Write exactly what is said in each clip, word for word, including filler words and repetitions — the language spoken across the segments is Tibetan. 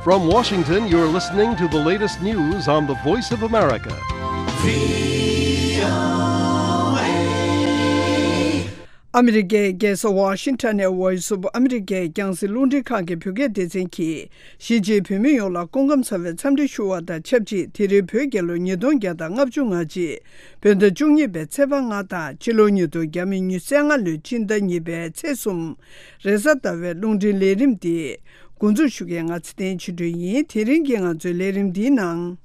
From Washington, you're listening to the latest news on the Voice of America. ཨ་མི་རི་ཀའི་རྒྱལ་ས་ཝ་ཤིང་ཊོན་ནས་Voice of America རྒྱང་སྲིང་རླུང་འཕྲིན་ཁང་གི་བོད་སྐད་སྡེ་ཚན་གྱིས། གཞིས་བྱེས་བོད་མི་ཡོངས་ལ་སྐུ་ཁམས་བཟང་བའི་འཚམས་འདྲི་ཞུ་བ་དང་ཆབས་ཅིག་དེ་རིང་བོད་རྒྱལ་ལོ་ཉིས་སྟོང་བརྒྱ་དང་ལྔ་བཅུ་ང་གཅིག་བོད་ཟླ་བཅུ་གཉིས་པའི་ཚེས་པ་ལྔ་དང་ཕྱི་ལོ་ཉིས་སྟོང་ཉི་ཤུ་རྩ་ལྔ་ལོའི་སྤྱི་ཟླ་གཉིས་པའི་ཚེས་གསུམ། རེས་གཟའ་ཟླ་བའི་རླུང་འཕྲིན་ལས་རིམ་འདི་འགོ་འཛུགས་ཞུ་མཁན་ང་ཚེ་བརྟན་ཆོས་སྒྲོན་ཡིན། དེ་རིང་གི་ང་ཚོའི་ལས་རིམ་འདིའི་ནང་།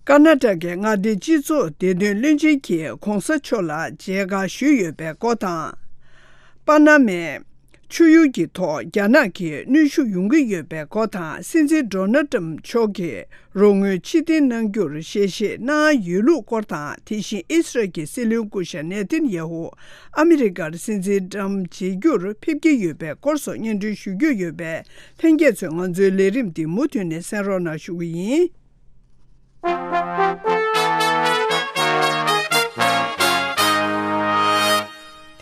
ཀར་ནཱ་ཊ་ཀའི་མངའ་སྡེའི་སྤྱི་ཚོགས་བདེ་དོན་བློན་ཆེན་གྱིས་༧གོང་ས་མཆོག་ལ་མཇལ་ཁ་ཞུས་ཡོད་པའི་སྐོར་དང་། པ་ན་མའི་ཆུ་ཡུར་གྱི་ཐོག་རྒྱ་ནག་གིས་གནོན་ཤུགས་ཡོང་གི་ཡོད་པའི་སྐོར་དང་། སྲིད་འཛིན་ཌོ་ནལ་ཊམ་མཆོག་གིས་རོགས་དངུལ་ཕྱིར་འཐེན་གནང་རྒྱུར་ཞལ་བཞེས་གནང་ཡོད་ལུགས་སྐོར་དང་། དེ་བཞིན་ཨི་སི་རལ་གྱི་སྲིད་བློན་སྐུ་ཞབས་ནེ་ཐན་ཡ་ཧུ་ཨ་མི་རི་ཀར་སྲིད་འཛིན་ཊམ་མཇལ་རྒྱུར་ཕེབས་ཀྱི་ཡོད་པའི་སྐོར་སོགས་སྙན་སྒྲོན་ཞུ་རྒྱུ་ཡོད་པས། ལྷན་རྒྱས་ཚོས་ང་ཚོའི་ལས་རིམ་འདི་མུ་མཐུད་ནས་གསན་རོགས་གནང་ཞུ་གི་ཡིན།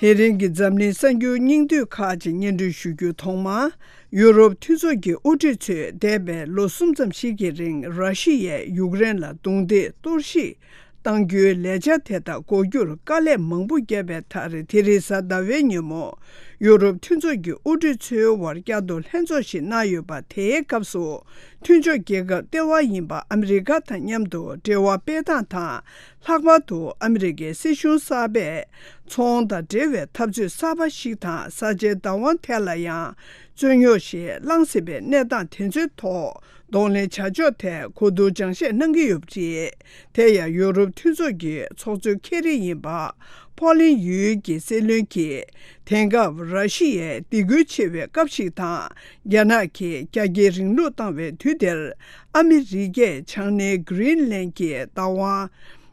དེ་རིང་གི་འཛམ་གླིང་གསར་འགྱུར་སྙིང་བསྡུས་ཁག་ཅིག་སྙན་སྒྲོན་ཞུ་རྒྱུ། ཐོག་མར། ཡུ་རོབ་མཐུན་ཚོགས་ཀྱི་དབུ་ཁྲིད་ཚོས་འདས་པའི་ལོ་གསུམ་ཙམ་ཞིག་གི་རིང་ར་ཤི་ཡས་ཡུཀ་རེན་ལ་རྡུང་རྡེག་གཏོར་བཤིག་གཏང་རྒྱུའི་ལས་འཆར་དེ་དག་འགོག་རྒྱུར་དཀའ་ལས་མང་པོ་བརྒྱབ་པའི་མཐར། དེ་རིང་གཟའ་ཟླ་བའི་ཉིན་མོ། ཡུ་རོབ་མཐུན་ཚོགས་ཀྱི་དབུ་ཁྲིད་ཚོའི་དབར་བསྐྱར་དུ་ལྷན་ཚོགས་ཤིག་གནང་ཡོད་པ། དེའི་སྐབས་སུ། མཐུན་ཕྱོགས་རྒྱལ་ཁབ་ལྟེ་བ་ཡིན་པ་ཨ་མི་རི་ཀ་དང་མཉམ་དུ་འབྲེལ་བ་སྤེལ་སྟངས་དང་། ལྷག་པར་དུ་ཨ་མི་རི་ཀའི་སྲིད་གཞུང་གསར་པས། ཚོང་དང་འབྲེལ་བའི་འཐབ་རྩོད་གསར་པ་ཞིག་དང་། ས་ཆའི་བདག་དབང་ཐད་ལ་ཡང་། རྩོད་རྙོག་ཞིག་ལངས་སྲིད་པའི་གནས་སྟངས་དེ་ཚོའི་ཐོག་གདོང་ལེན་བྱ་ཕྱོགས་ཐད་གོ་བསྡུར་སྦྱང་བཤད་གནང་གི་ཡོད་པ་རེད། དེ་ཡང་ཡུ་རོབ་མཐུན་ཚོགས་ཀྱི་ཚོགས་གཙོ་མཁན་རིན་ཡིན་པ། ཕོ་ལན་ཡུལ་གྱི་སྲིད་བློན་གྱིས། དེང་སྐབས་ར་ཤི་ཡའི་སྡིགས་སྐུལ་ཆེ་བའི་སྐབས་ཤིག་དང་། རྒྱ་ནག་གིས་རྒྱ་སྐྱེད་རིང་ལུགས་བཏང་བའི་དུས་དེར། ཨ་མི་རི་ཀས་བྱང་སྣེ་གྷི་རིན་ལན་གྱི་བདག་དབང་།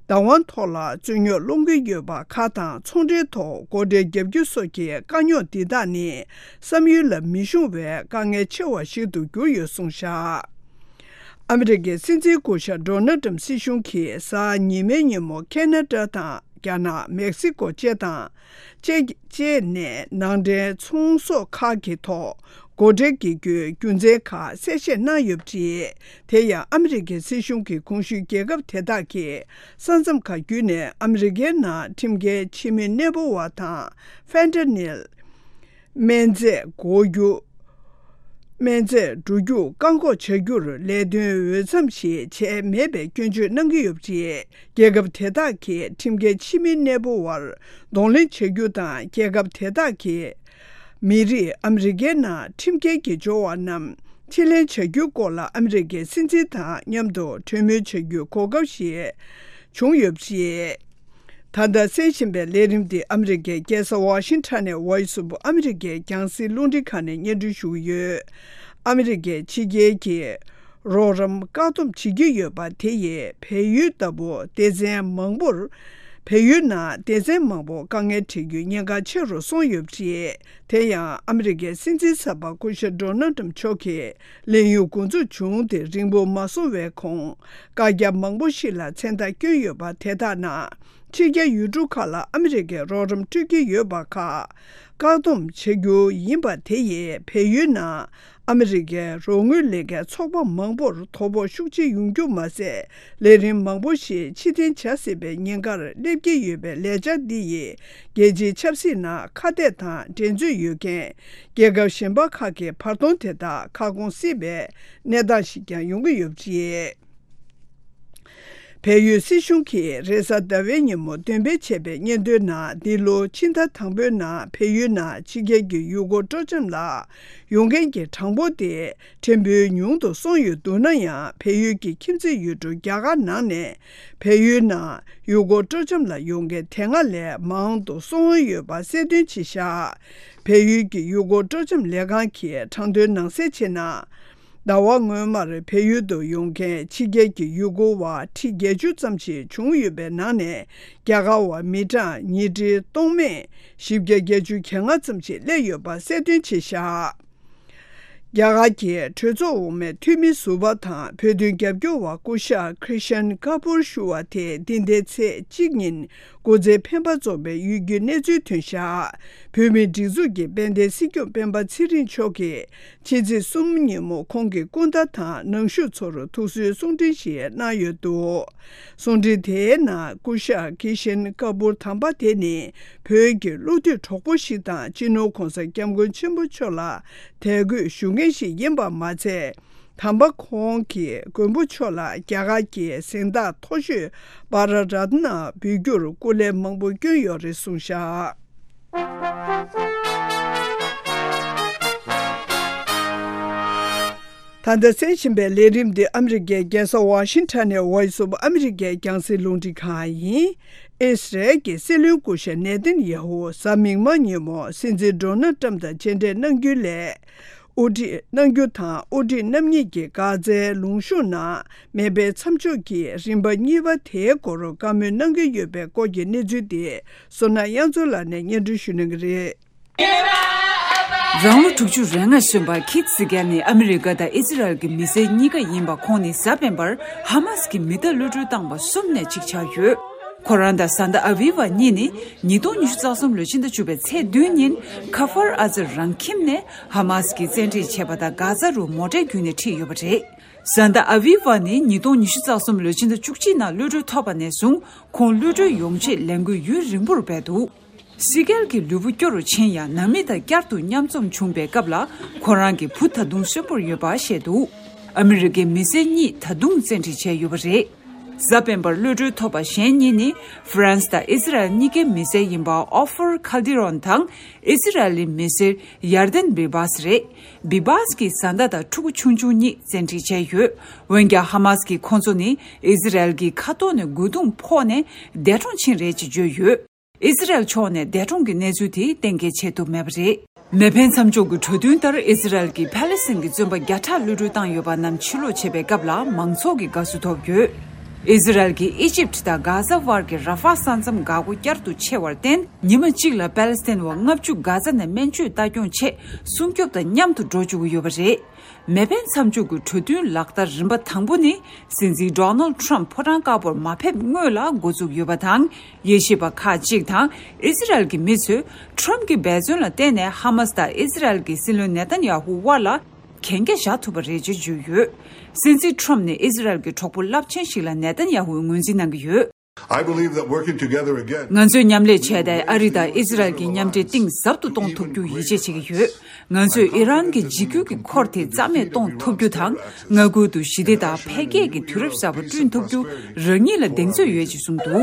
བདག་དབང་ཐོག་ལ་རྩོད་རྙོག་སློང་གི་ཡོད་པ་ཁག་དང་། ཚོང་འབྲེལ་ཐོག་སྒོ་ཁྲལ་བརྒྱབ་རྒྱུ་སོགས་ཀྱི་དཀའ་རྙོག་འདི་དག་ནི། བསམ་ཡུལ་ལ་མི་ཤོང་བའི་དཀའ་ངལ་ཆེ་བ་ཞིག་ཏུ་གྱུར་ཡོད་གསུངས་བཞག་ཨ་མི་རི་ཀའི་སྲིད་འཛིན་སྐུ་ཞབས་ཌོ་ནལ་ཏྲམ་སྲིད་གཞུང་གིས་གཟའ་ཉི་མའི་ཉིན་མོ་ཁེ་ན་ཌ་དང་། རྒྱ་ནག་མེག་སི་ཀོ་བཅས་དང་། བཅས་བཅས་ནས་ནང་འདྲེན་ཚོང་ཟོག་ཁག་གི་ཐོག་སྒོ་ཁྲལ་འགེལ་རྒྱུའི་རྒྱུ་མཚན་ཁག་གསལ་བཤད་གནང་ཡོད་པ་རེད། དེ་ཡང་ཨ་མི་རི་ཀའི་སྲིད་གཞུང་གིས་གོང་ཞུས་རྒྱལ་ཁབ་དེ་དག་གི་ས་མཚམས་ཁག་བརྒྱུད་ནས་ཨ་མི་རི་ཀའི་ནང་ཁྲིམས་འགལ་ཕྱི་མི་གནས་སྤོ་བ་དང་། ཕེན་ཏ་ནིལ། སྨན་རྫས་འགོག་རྒྱུ། སྨན་རྫས་འགྲོ་རྒྱུག་བཀག་འགོག་བྱ་རྒྱུར་ལས་དོན་འོས་འཚམ་ཞིག་བྱས་མེད་པའི་སྐྱོན་བརྗོད་གནང་གི་ཡོད་པ་རེད། རྒྱལ་ཁབ་དེ་དག་གིས་ཁྲིམས་འགལ་ཕྱི་མི་གནས་སྤོ་བར་གདོང་ལེན་བྱ་རྒྱུ་དང་། རྒྱལ་ཁབ་དེ་དག་གི་མི་རིགས་ཨ་མི་རི་ཀའི་ནང་ཁྲིམས་འགལ་གྱི་འབྱོར་བ་རྣམས་ཕྱིར་ལེན་བྱ་རྒྱུའི་སྐོར་ལ་ཨ་མི་རི་ཀའི་སྲིད་འཛིན་དང་མཉམ་དུ་གྲོས་མོལ་བྱ་རྒྱུའི་གོ་སྐབས་ཤིག་བྱུང་ཡོད་པ་རེད། ད་ལྟ་གསན་བཞིན་པའི་ལས་རིམ་འདི་ཨ་མི་རི་ཀའི་རྒྱལ་ས་ཝ་ཤིང་ཊོན་ནས་Voice of America རྒྱང་སྲིང་རླུང་འཕྲིན་ཁང་ནས་སྙན་སྒྲོན་ཞུ་གི་ཡོད། ཨ་མི་རི་ཀས་ཕྱི་རྒྱལ་གྱི་རོགས་རམ་བཀག་སྡོམ་བྱེད་ཀྱི་ཡོད་པ་དེ་ཡིས་བལ་ཡུལ་ལྟ་བུ་སྡེ་ཚན་མང་པོར། བལ་ཡུལ་ནང་སྡེ་ཚན་མང་པོ་དཀའ་ངལ་འཕྲད་རྒྱུའི་ཉེན་ཁ་ཆེ་རུ་སོང་ཡོད་པ་རེད། དེ་ཡང་ཨ་མི་རི་ཀའི་སྲིད་འཛིན་གསར་པ་སྐུ་ཞབས་ཌོ་ནལ་ཏྲམ་མཆོག་གིས་ལས་ཡུན་འགོ་འཛུགས་བྱུང་སྟེ་རིང་པོ་མ་སོང་བའི་གོང་། བཀའ་རྒྱ་མང་པོ་ཞིག་ལ་མཚན་རྟགས་བསྐྱོན་ཡོད་པ་དེ་དག་ནང་། ཕྱི་རྒྱལ་ཡུལ་གྲུ་ཁག་ལ་ཨ་མི་རི་ཀས་རོགས་རམ་སྤྲོད་ཀྱི་ཡོད་པ་ཁག་བཀག་སྡོམ་བྱ་རྒྱུ་ཡིན་པ་དེ་ཡིས་བལ་ཡུལ་ནང་ཨ་མི་རི་ཀའི་རོགས་དངུལ་ལེན་མཁན་ཚོགས་པ་མང་པོར་དོ་ཕོག་ཤུགས་ཆེ་ཡོང་རྒྱུ་མ་ཟད། ལས་རིམ་མང་པོ་ཞིག་ཕྱིར་འཐེན་བྱ་སྲིད་པའི་ཉེན་ཁར་སླེབས་ཀྱི་ཡོད་པའི་ལས་འཆར་འདི་ཡིས་རྒྱལ་སྤྱིའི་ཆབ་སྲིད་ནང་ཁ་གཏད་དང་འགྲན་རྩོད་ཡོད་མཁན་རྒྱལ་ཁབ་གཞན་པ་ཁག་གི་བར་སྟོང་དེ་དག་ཁ་སྐོང་སྲིད་པའི་གནས་སྟངས་ཤིག་ཀྱང་ཡོང་གི་ཡོད་པ་རེད། བལ་ཡུལ་སྲིད་གཞུང་གིས་རེས་གཟའ་ཟླ་བའི་ཉིན་མོ་འདོན་སྤེལ་བྱས་པའི་སྙན་ཐོའི་ནང་། འདི་ལོ་ཕྱི་ཟླ་དང་པོའི་ནང་བལ་ཡུལ་ནང་ཕྱི་རྒྱལ་གྱི་ཡུལ་སྐོར་སྤྲོ་འཆམ་ལ་ཡོང་མཁན་གྱི་གྲངས་འབོར་དེ་ཕྲན་བུ་ཉུང་དུ་སོང་ཡོད་འདུག་ན་ཡང་། བལ་ཡུལ་གྱི་ཁྱིམ་མཚེས་ཡུལ་གྲུ་རྒྱ་གར་ནང་ནས་བལ་ཡུལ་ནང་ཡུལ་སྐོར་སྤྲོ་འཆམ་ལ་ཡོང་མཁན་དེ་སྔ་ལས་མང་དུ་སོང་ཡོད་པ་གསལ་སྟོན་བྱས་བཞག་བལ་ཡུལ་གྱི་ཡུལ་སྐོར་སྤྲོ་འཆམ་ལས་ཁང་གིས་གྲངས་ཐོའི་ནང་གསལ་བྱས་ན། ཟླ་བ་སྔོན་མར་བལ་ཡུལ་དུ་ཡོང་མཁན་ཕྱི་རྒྱལ་གྱི་ཡུལ་སྐོར་བ་ཁྲི་བརྒྱད་ཅུ་ཙམ་ཞིག་བྱུང་ཡོད་པའི་ནང་ནས། རྒྱ་གར་བ་མི་གྲངས་ཉིས་ཁྲི་སྟོང་མེད་བཞི་བརྒྱ་བརྒྱད་ཅུ་གྱ་ལྔ་ཙམ་ཞིག་སླེབས་ཡོད་པ་གསལ་སྟོན་བྱས་བཞག་རྒྱ་གར་གྱི་གྲོས་ཚོགས་འོག་མའི་འཐུས་མི་ཟུར་པ་དང་བོད་དོན་རྒྱབ་སྐྱོར་བ་སྐུ་ཞབས་ཁྲི་ཤན་ཀ་པུར་ཞུ་བ་དེ་འདི་ཟླའི་ཚེས་གཅིག་ཉིན་སྐུ་ཚེ་འཕེན་པ་རྫོགས་པའི་ཡུལ་རྒྱུའི་གནས་ཚུལ་ཐོན་ཤག་བོད་མིའི་སྒྲིག་འཛུགས་ཀྱི་དཔལ་ལྡན་སྲིད་སྐྱོང་སྤེན་པ་ཚེ་རིང་མཆོག་གིས་ཕྱི་ཚེས་གསུམ་ཉིན་མོ་ཁོང་གི་སྐུ་ཟླ་དང་ནང་ཞུགས་ཚོར་ཐུགས་གསོའི་གསུང་འཕྲིན་ཞིག་གནང་ཡོད་འདུག་གསུང་འཕྲིན་དེའི་ནང་སྐུ་ཞབས་ཁྲི་ཤན་ཀ་པུར་དམ་པ་དེ་ནི་བོད་ཀྱི་བློ་གཏད་གྲོགས་པོ་ཞིག་དང་སྤྱི་ནོར་༧གོང་ས་༧སྐྱབས་མགོན་ཆེན་པོ་མཆོག་ལ་དད་གུས་ཞུ་མཁན་ཞིག་ཡིན་པ་མ་ཚད། དམ་པ་ཁོང་གིས་མགོན་པོ་མཆོག་ལ་རྒྱ་གར་གྱི་གཟེངས་རྟགས་མཐོ་ཤོས་བྷ་ར་རཏ་ན་འབུལ་རྒྱུར་སྐུ་ལས་མང་པོ་བསྐྱོན་ཡོད་རེད་གསུངས་ཤག་ད་ལྟ་གསན་བཞིན་པའི་ལས་རིམ་འདི་ཨ་མི་རི་ཀའི་རྒྱལ་ས་ཝ་ཤིང་ཊོན་ནས་Voice of America རྒྱང་སྲིང་རླུང་འཕྲིན་ཁང་ཡིན། ཨི་སི་རལ་གྱི་སྲིད་བློན་སྐུ་ཞབས་ནེ་ཐན་ཡ་ཧུ་གཟའ་མིག་དམར་ཉིན་མོ་སྲིད་འཛིན་ཌོ་ནལ་ཊམ་དང་མཇལ་འཕྲད་གནང་རྒྱུའི་ལས། དབུ་ཁྲིད་གནང་རྒྱུ་དང་། དབུ་ཁྲིད་རྣམ་གཉིས་ཀྱིས་གྷ་ཛའི་ལུང་གཤོང་ནང་མེ་འཕེན་མཚམས་འཇོག་གི་རིམ་པ་གཉིས་པ་དེའི་སྐོར་བཀའ་མོལ་གནང་གི་ཡོད་པའི་སྐོར་གྱི་གནས་ཚུལ་དེ། བསོད་ནམས་དབྱངས་མཚོ་ལགས་ནས་སྙན་སྒྲོན་ཞུ་གནང་གི་རེད། རང་ལོ་དྲུག་ཅུ་རེ་ལྔ་སོན་པ་ཁིད་སི་གེལ་ནི་ཨ་མི་རི་ཀ་དང་ཨི་ཛི་རལ་གྱི་མི་སེར་གཉིས་ཀ་ཡིན་པ། ཁོང་ནི་གཟའ་སྤེན་པར་ཧ་མཱ་སི་ཀྱི་མི་གཏའ་གློད་གྲོལ་བཏང་བ་གསུམ་ནས་གཅིག་ཆགས་ཡོད། ཁོ་རང་དང་ཟ་འདྲ་ཨ་བི་ཝ་གཉིས་ནི་ཉིས་སྟོང་ཉི་ཤུ་རྩ་གསུམ་ལོའི་ཕྱི་ཟླ་བཅུ་པའི་ཚེས་བདུན་ཉིན་ཁ་ཧྥར་ཨ་ཛར་རང་ཁྱིམ་ནས་ཧ་མཱ་སི་ཀྱིས་བཙན་ཁྲིད་བྱས་པ་དང་། གྷ་ཛ་རུ་མོ་ཊའི་བརྒྱུད་ནས་ཁྲིད་ཡོད་པ་རེད། ཟ་འདྲ་ཨ་བི་ཝ་ནི་ཉིས་སྟོང་ཉི་ཤུ་རྩ་གསུམ་ལོའི་ཕྱི་ཟླ་བཅུ་གཅིག་ནང་གློད་གྲོལ་ཐོབ་པ་ནས་བཟུང་ཁོང་གློད་གྲོལ་ཡོང་ཆེད་ལས་འགུལ་ཡུན་རིང་པོར་སྤེལ་འདུག་སི་གེལ་གྱི་ལུས་པོ་སྐྱོ་རུ་ཕྱིན་ཡང་། ནང་མི་དང་བསྐྱར་དུ་མཉམ་འཛོམས་བྱུང་པའི་སྐབས་ལ་ཁོ་རང་གི་བུ་ད་དུང་གསོན་པོར་ཡོད་པ་བཤད་འདུག་ཨ་མི་རི་ཀའི་མི་སེར་གཉིས་ད་དུང་བཙན་ཁྲིད་བྱས་ཡོད་པ་རེད། གཟའ་སྤེན་པར་གློད་གྲོལ་ཐོབ་པ་གཞན་གཉིས་ནི་ཧྥ་རན་སི་དང་ཨི་ཛི་རལ་གཉིས་ཀའི་མི་སེར་ཡིན་པ་ཨོ་ཧྥར་ཁལ་ཏི་རོན་དང་ཨི་ཛི་རལ་ལི་མི་སེར་ཡར་དན་བི་བཱས་རེད། བི་བཱས་ཀྱི་བཟའ་ཟླ་དང་ཕྲུ་གུ་ཆུང་ཆུང་གཉིས་བཙན་ཁྲིད་བྱས་ཡོད། འོན་ཀྱང་ཧ་མཱ་སི་ཀྱིས་ཁོང་ཚོ་ནི་ཨི་ཛི་རལ་གྱི་མཁའ་ཐོག་ནས་རྒོལ་རྡུང་ཕོག་ནས་འདས་གྲོངས་ཕྱིན་རེད་ཅེས་བརྗོད་ཡོད། ཨི་ཛི་རལ་ཕྱོགས་ནས་འདས་གྲོངས་ཀྱི་གནས་ཚུལ་དེ་གཏན་འཁེལ་བྱེད་ཐུབ་མེད་པ་རེད། མེ་འཕེན་མཚམས་འཇོག་གི་གྲོས་མཐུན་ལྟར་ཨི་ཛི་རལ་གྱིས་ཕ་ལེ་སི་ཐན་གྱི་བཙོན་པ་བརྒྱ་ཕྲག་གློད་གྲོལ་བཏང་ཡོད་པ་རྣམས་ཕྱིར་ལོག་བྱས་པའི་སྐབས་ལ་མང་ཚོགས་ཀྱི་དགའ་བསུ་ཐོབ་ཡོད། ཨི་ཛི་རལ་གྱིས་ཨི་ཇིབ་དང་གྷ་ཛ་བར་གྱི་ར་ཧྥ་ས་མཚམས་འགག་སྒོ་བསྐྱར་དུ་ཕྱེ་བར་བརྟེན། ཉི་མ་གཅིག་ལ་ཕ་ལེ་སི་ཐན་བ་ལྔ་བཅུ་གྷ་ཛ་ནས་སྨན་བཅོས་ལྟ་སྐྱོང་ཆེད་སྲུང་སྐྱོབ་དང་མཉམ་དུ་འགྲོ་བཅུག་གི་ཡོད་པ་རེད། མེ་འཕེན་མཚམས་འཇོག་གི་གྲོས་མཐུན་ལག་བསྟར་རིམ་པ་དང་པོ་ནི། སྲིད་འཛིན་ཌོ་ནལ་ཊམ་ཕོ་བྲང་དཀར་པོར་མ་ཕེབས་སྔོན་ལ་འགོ་བཙུགས་ཡོད་པ་དང་། དབྱེ་ཞིབ་པ་ཁག་ཅིག་དང་ཨི་ཛི་རལ་གྱི་མི་ཚོས་ཊམ་གྱི་འབད་བརྩོན་ལ་བརྟེན་ནས་ཧ་མཱ་སི་དང་ཨི་ཛི་རལ་གྱི་སྲིད་བློན་ནེ་ཐན་ཡ་ཧུ་དབར་ལ་གན་རྒྱ་བཞག་ཐུབ་པ་རེད་ཅེས་བརྗོད་ཡོད། སྲིད་འཛིན་ཊམ་ནི་ཨི་ཛི་རལ་གྱི་གྲོགས་པོ་རླབས་ཆེན་ཞིག་ལ་ནེ་ཐན་ཡ་ཧུས་ངོས་འཛིན་གནང་གི་ཡོད། I believe that working together again, ང་ཚོས་མཉམ་ལས་བྱས་ཏེ་ཨ་རི་དང་ཨི་ཛི་རལ་གྱི་མཉམ་འབྲེལ་གཏིང་ཟབ་ཏུ་གཏོང་ཐུབ་རྒྱུ་ཡིད་ཆེས་བྱེད་ཀྱི་ཡོད། ང་ཚོས་ཨི་རན་གྱི་འཇིགས་སྐུལ་གྱི་འཁོར་དེ་རྩ་མེད་གཏོང་ཐུབ་རྒྱུ་དང་། མངའ་ཁུལ་དུ་ཞི་བདེ་དང་འཕེལ་རྒྱས་ཀྱི་དུས་རབས་གསར་པ་བསྐྲུན་ཐུབ་རྒྱུ་རང་ཉིད་ལ་གདེང་ཚོད་ཡོད་ཅེས་གསུངས་འདུག་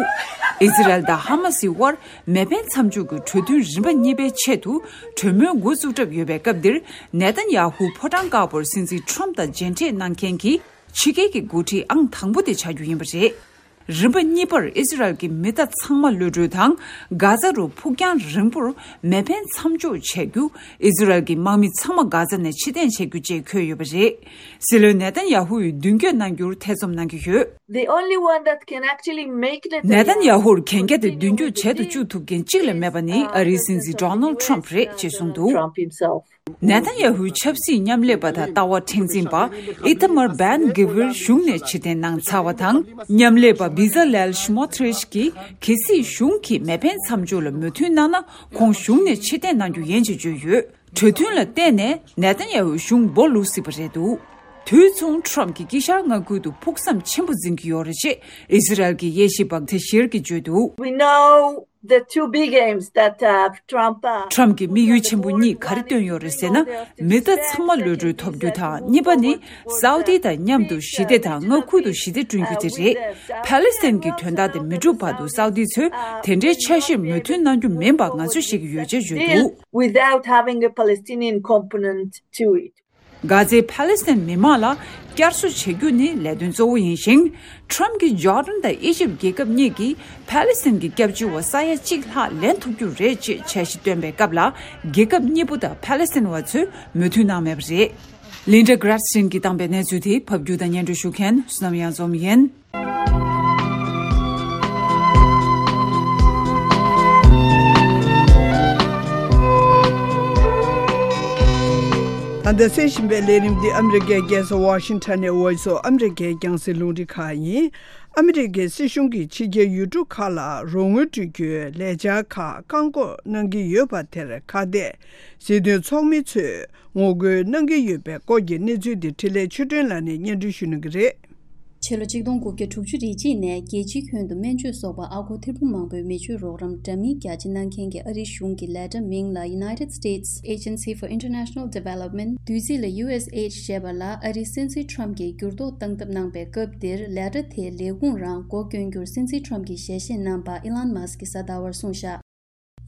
ཨི་ཛི་རལ་དང་ཧ་མ་སིའི་དབར་མེ་འཕེན་མཚམས་འཇོག་གི་གྲོས་མཐུན་རིམ་པ་གཉིས་པའི་ཆེད་དུ་གྲོས་མོལ་འགོ་བཙུགས་གྲབས་ཡོད་པའི་སྐབས་འདིར། ནེ་ཐན་ཡ་ཧུ་ཕོ་བྲང་དཀར་པོར་སྲིད་འཛིན་ཁྲོམ་དང་མཇལ་འཕྲད་གནང་མཁན་གྱི་ཕྱི་རྒྱལ་གྱི་འགོ་ཁྲིད་ཨང་དང་པོ་དེ་ཆགས་རྒྱུ་ཡིན་པ་རེད། རིམ་པ་གཉིས་པར་ཨི་ཛི་རལ་གྱི་མི་གཏའ་ཚང་མ་གློད་གྲོལ་དང་། གྷ་ཛ་རུ་ཕུགས་རྒྱང་རིང་པོར་མེ་འཕེན་མཚམས་འཇོག་བྱ་རྒྱུ། ཨི་ཛི་རལ་གྱི་དམག་མི་ཚང་མ་གྷ་ཛ་ནས་ཕྱིར་འཐེན་བྱ་རྒྱུ་བཅས་འཁོད་ཡོད་པ་རེད། སྲིད་བློན་ནེ་ཐན་ཡ་ཧུ་ཡིས་མདུན་སྐྱོད་གནང་རྒྱུར་ཐེ་ཚོམ་གནང་གི་ཡོད། The only one that can actually make the ནེ་ཐན་ཡ་ཧུར་གན་རྒྱ་དེ་མདུན་སྐྱོད་བྱེད་དུ་བཅུག་ཐུབ་མཁན་གཅིག་ལས་མེད་པ་ནི་ཨ་རིའི་སྲིད་འཛིན་ཌོ་ནལ་ཁྲོམ་རེད་ཅེས་གསུངས་འདུག་ནེ་ཐན་ཡ་ཧུའི་ཆབ་སྲིད་མཉམ་ལས་པ་དང་ལྟ་བ་མཁྲེགས་འཛིན་པ་ཨི་ཐ་མར་བན་གྷི་ཝིར་གཞུང་ནས་ཕྱིར་འཐེན་གནང་ཚར་བ་དང་། མཉམ་ལས་པ་བི་ཛ་ལེལ་ཤི་མོ་ཐི་རིཤ་གིས་གལ་སྲིད་གཞུང་གིས་མེ་འཕེན་མཚམས་འཇོག་ལ་མོས་མཐུན་གནང་ན། ཁོང་གཞུང་ནས་ཕྱིར་འཐེན་གནང་རྒྱུ་ཡིན་ཅེས་བརྗོད་ཡོད། གྲོས་མཐུན་ལ་བརྟེན་ནས་ནེ་ཐན་ཡ་ཧུའི་གཞུང་སྦོ་ལུག་སྲིད་པ་རེད་འདུག་དུས་མཚུངས་ཁྲོམ་གྱིས་དཀྱིལ་ཤར་མངའ་ཁུལ་དུ་ཕུགས་བསམ་ཆེན་པོ་འཛིན་གྱི་ཡོད་རེད་ཅེས་ཨི་ཟི་རལ་གྱི་དབྱེ་ཞིབ་པ་ཐེ་ཤེར་གྱིས་བརྗོད་འདུག We know the two big aims that uh, Trump uh, ཁྲོམ་གྱིས་དམིགས་ཡུལ་ཆེན་པོ་གཉིས་ག་རེ་བཏོན་ཡོད་རེད་ཟེར་ན། མི་གཏའ་ཚང་མ་གློད་གྲོལ་ཐོབ་རྒྱུ་དང་། གཉིས་པ་ནི་སའུ་ཏི་དང་མཉམ་དུ་ཞི་བདེ་དང་མངའ་ཁུལ་དུ་ཞི་བདེ་བསྐྲུན་རྒྱུ་དེ་རེད། ཕ་ལེ་སི་ཐན་གྱི་དོན་དག་དེ་མི་འགྲུབ་བར་དུ་སའུ་ཏི་ཚོས་དེ་འདྲའི་འཆར་གཞིར་མོས་མཐུན་གནང་རྒྱུ་མིན་པ་ང་ཚོས་ཤེས་ཀྱི་ཡོད་ཅེས་བརྗོད་འདུག without having a Palestinian component to it. གྷ་ཛའི་ཕ་ལེ་སི་ཐན་མི་མང་ལ་བསྐྱར་གསོ་བྱེད་རྒྱུ་ནི་ལས་དོན་གཙོ་བོ་ཡིན་ཞིང་། ཁྲོམ་གྱིས་ཇོར་ཌན་དང་ཨི་ཇིབ་རྒྱལ་ཁབ་གཉིས་ཀྱིས་ཕ་ལེ་སི་ཐན་གྱི་སྐྱབས་བཅོལ་བ་ས་ཡ་གཅིག་ལྷག་ལེན་ཐུབ་རྒྱུ་རེད་ཅེས་འཆར་གཞི་བཏོན་པའི་སྐབས་ལ། རྒྱལ་ཁབ་གཉིས་པོ་དང་ཕ་ལེ་སི་ཐན་བ་ཚོས་མོས་མཐུན་གནང་མེད་པ་རེད། ལིན་ཌ་གྷ་རཱ་སི་ཤིན་གྱིས་བཏང་པའི་གནས་ཚུལ་དེ་ཕབ་སྒྱུར་དང་སྙན་སྒྲོན་ཞུ་མཁན་བསོད་ནམས་གཡང་འཛོམས་ཡིན། ད་ ད་གསན་བཞིན་པའི་ལས་རིམ་འདི་ཨ་མི་རི་ཀའི་རྒྱལ་ས་ཝ་ཤིང་ཊོན་ནས་Voice of America རྒྱང་སྲིང་རླུང་འཕྲིན་ཁང་ཡིན། ཨ་མི་རི་ཀའི་སྲིད་གཞུང་གིས་ཕྱི་རྒྱལ་ཡུལ་གྲུ་ཁག་ལ་རོགས་དངུལ་སྤྲོད་རྒྱུའི་ལས་འཆར་ཁག་བཀག་འགོག་གནང་གི་ཡོད་པ་དེར་ཁ་གཏད་སྲིད་དོན་ཚོགས་མི་ཚོས་ངོ་རྒོལ་གནང་གི་ཡོད་པའི་སྐོར་གྱི་གནས་ཚུལ་འདི་འཕྲིན་ལས་ཆོས་སྒྲོན་ལགས་ནས་སྙན་སྒྲོན་ཞུ་གནང་གི་རེད། ཕྱི་ལོ་ཆིག་སྟོང་དགུ་བརྒྱ་དྲུག་ཅུ་རེ་གཅིག་ནས་རྒྱལ་སྤྱིའི་ཁྱོན་དུ་སྨན་བཅོས་སོགས་པ་ཨ་སྒོར་ཐེར་འབུམ་མང་པོའི་མི་སྤྱོད་རོགས་རམ་འདྲ་མིན་རྒྱ་ཆེ་གནང་མཁན་གྱི་ཨ་རིའི་གཞུང་གི་ལས་གྲྭ་མིང་ལ་United States Agency for International Development བསྡུས་ཚིག་ལ་ཡུ་ཨེས་ཨེ་ཅི་ཞེས་པ་ལ་ཨ་རིའི་སྲིད་འཛིན་ཁྲོམ་གྱིས་འགྱུར་ལྡོག་བཏང་ཐབས་གནང་པའི་སྐབས་འདིར་ལས་གྲྭ་དེའི་ལས་ཁུངས་རང་སྒོ་སྐྱོན་རྒྱུར་སྲིད་འཛིན་ཁྲོམ་གྱིས་ཞལ་བཞེས་གནང་པ་ཨི་ལན་མཱ་སི་ཀྱིས་གཟའ་ཟླ་བར་གསུངས་བཞག་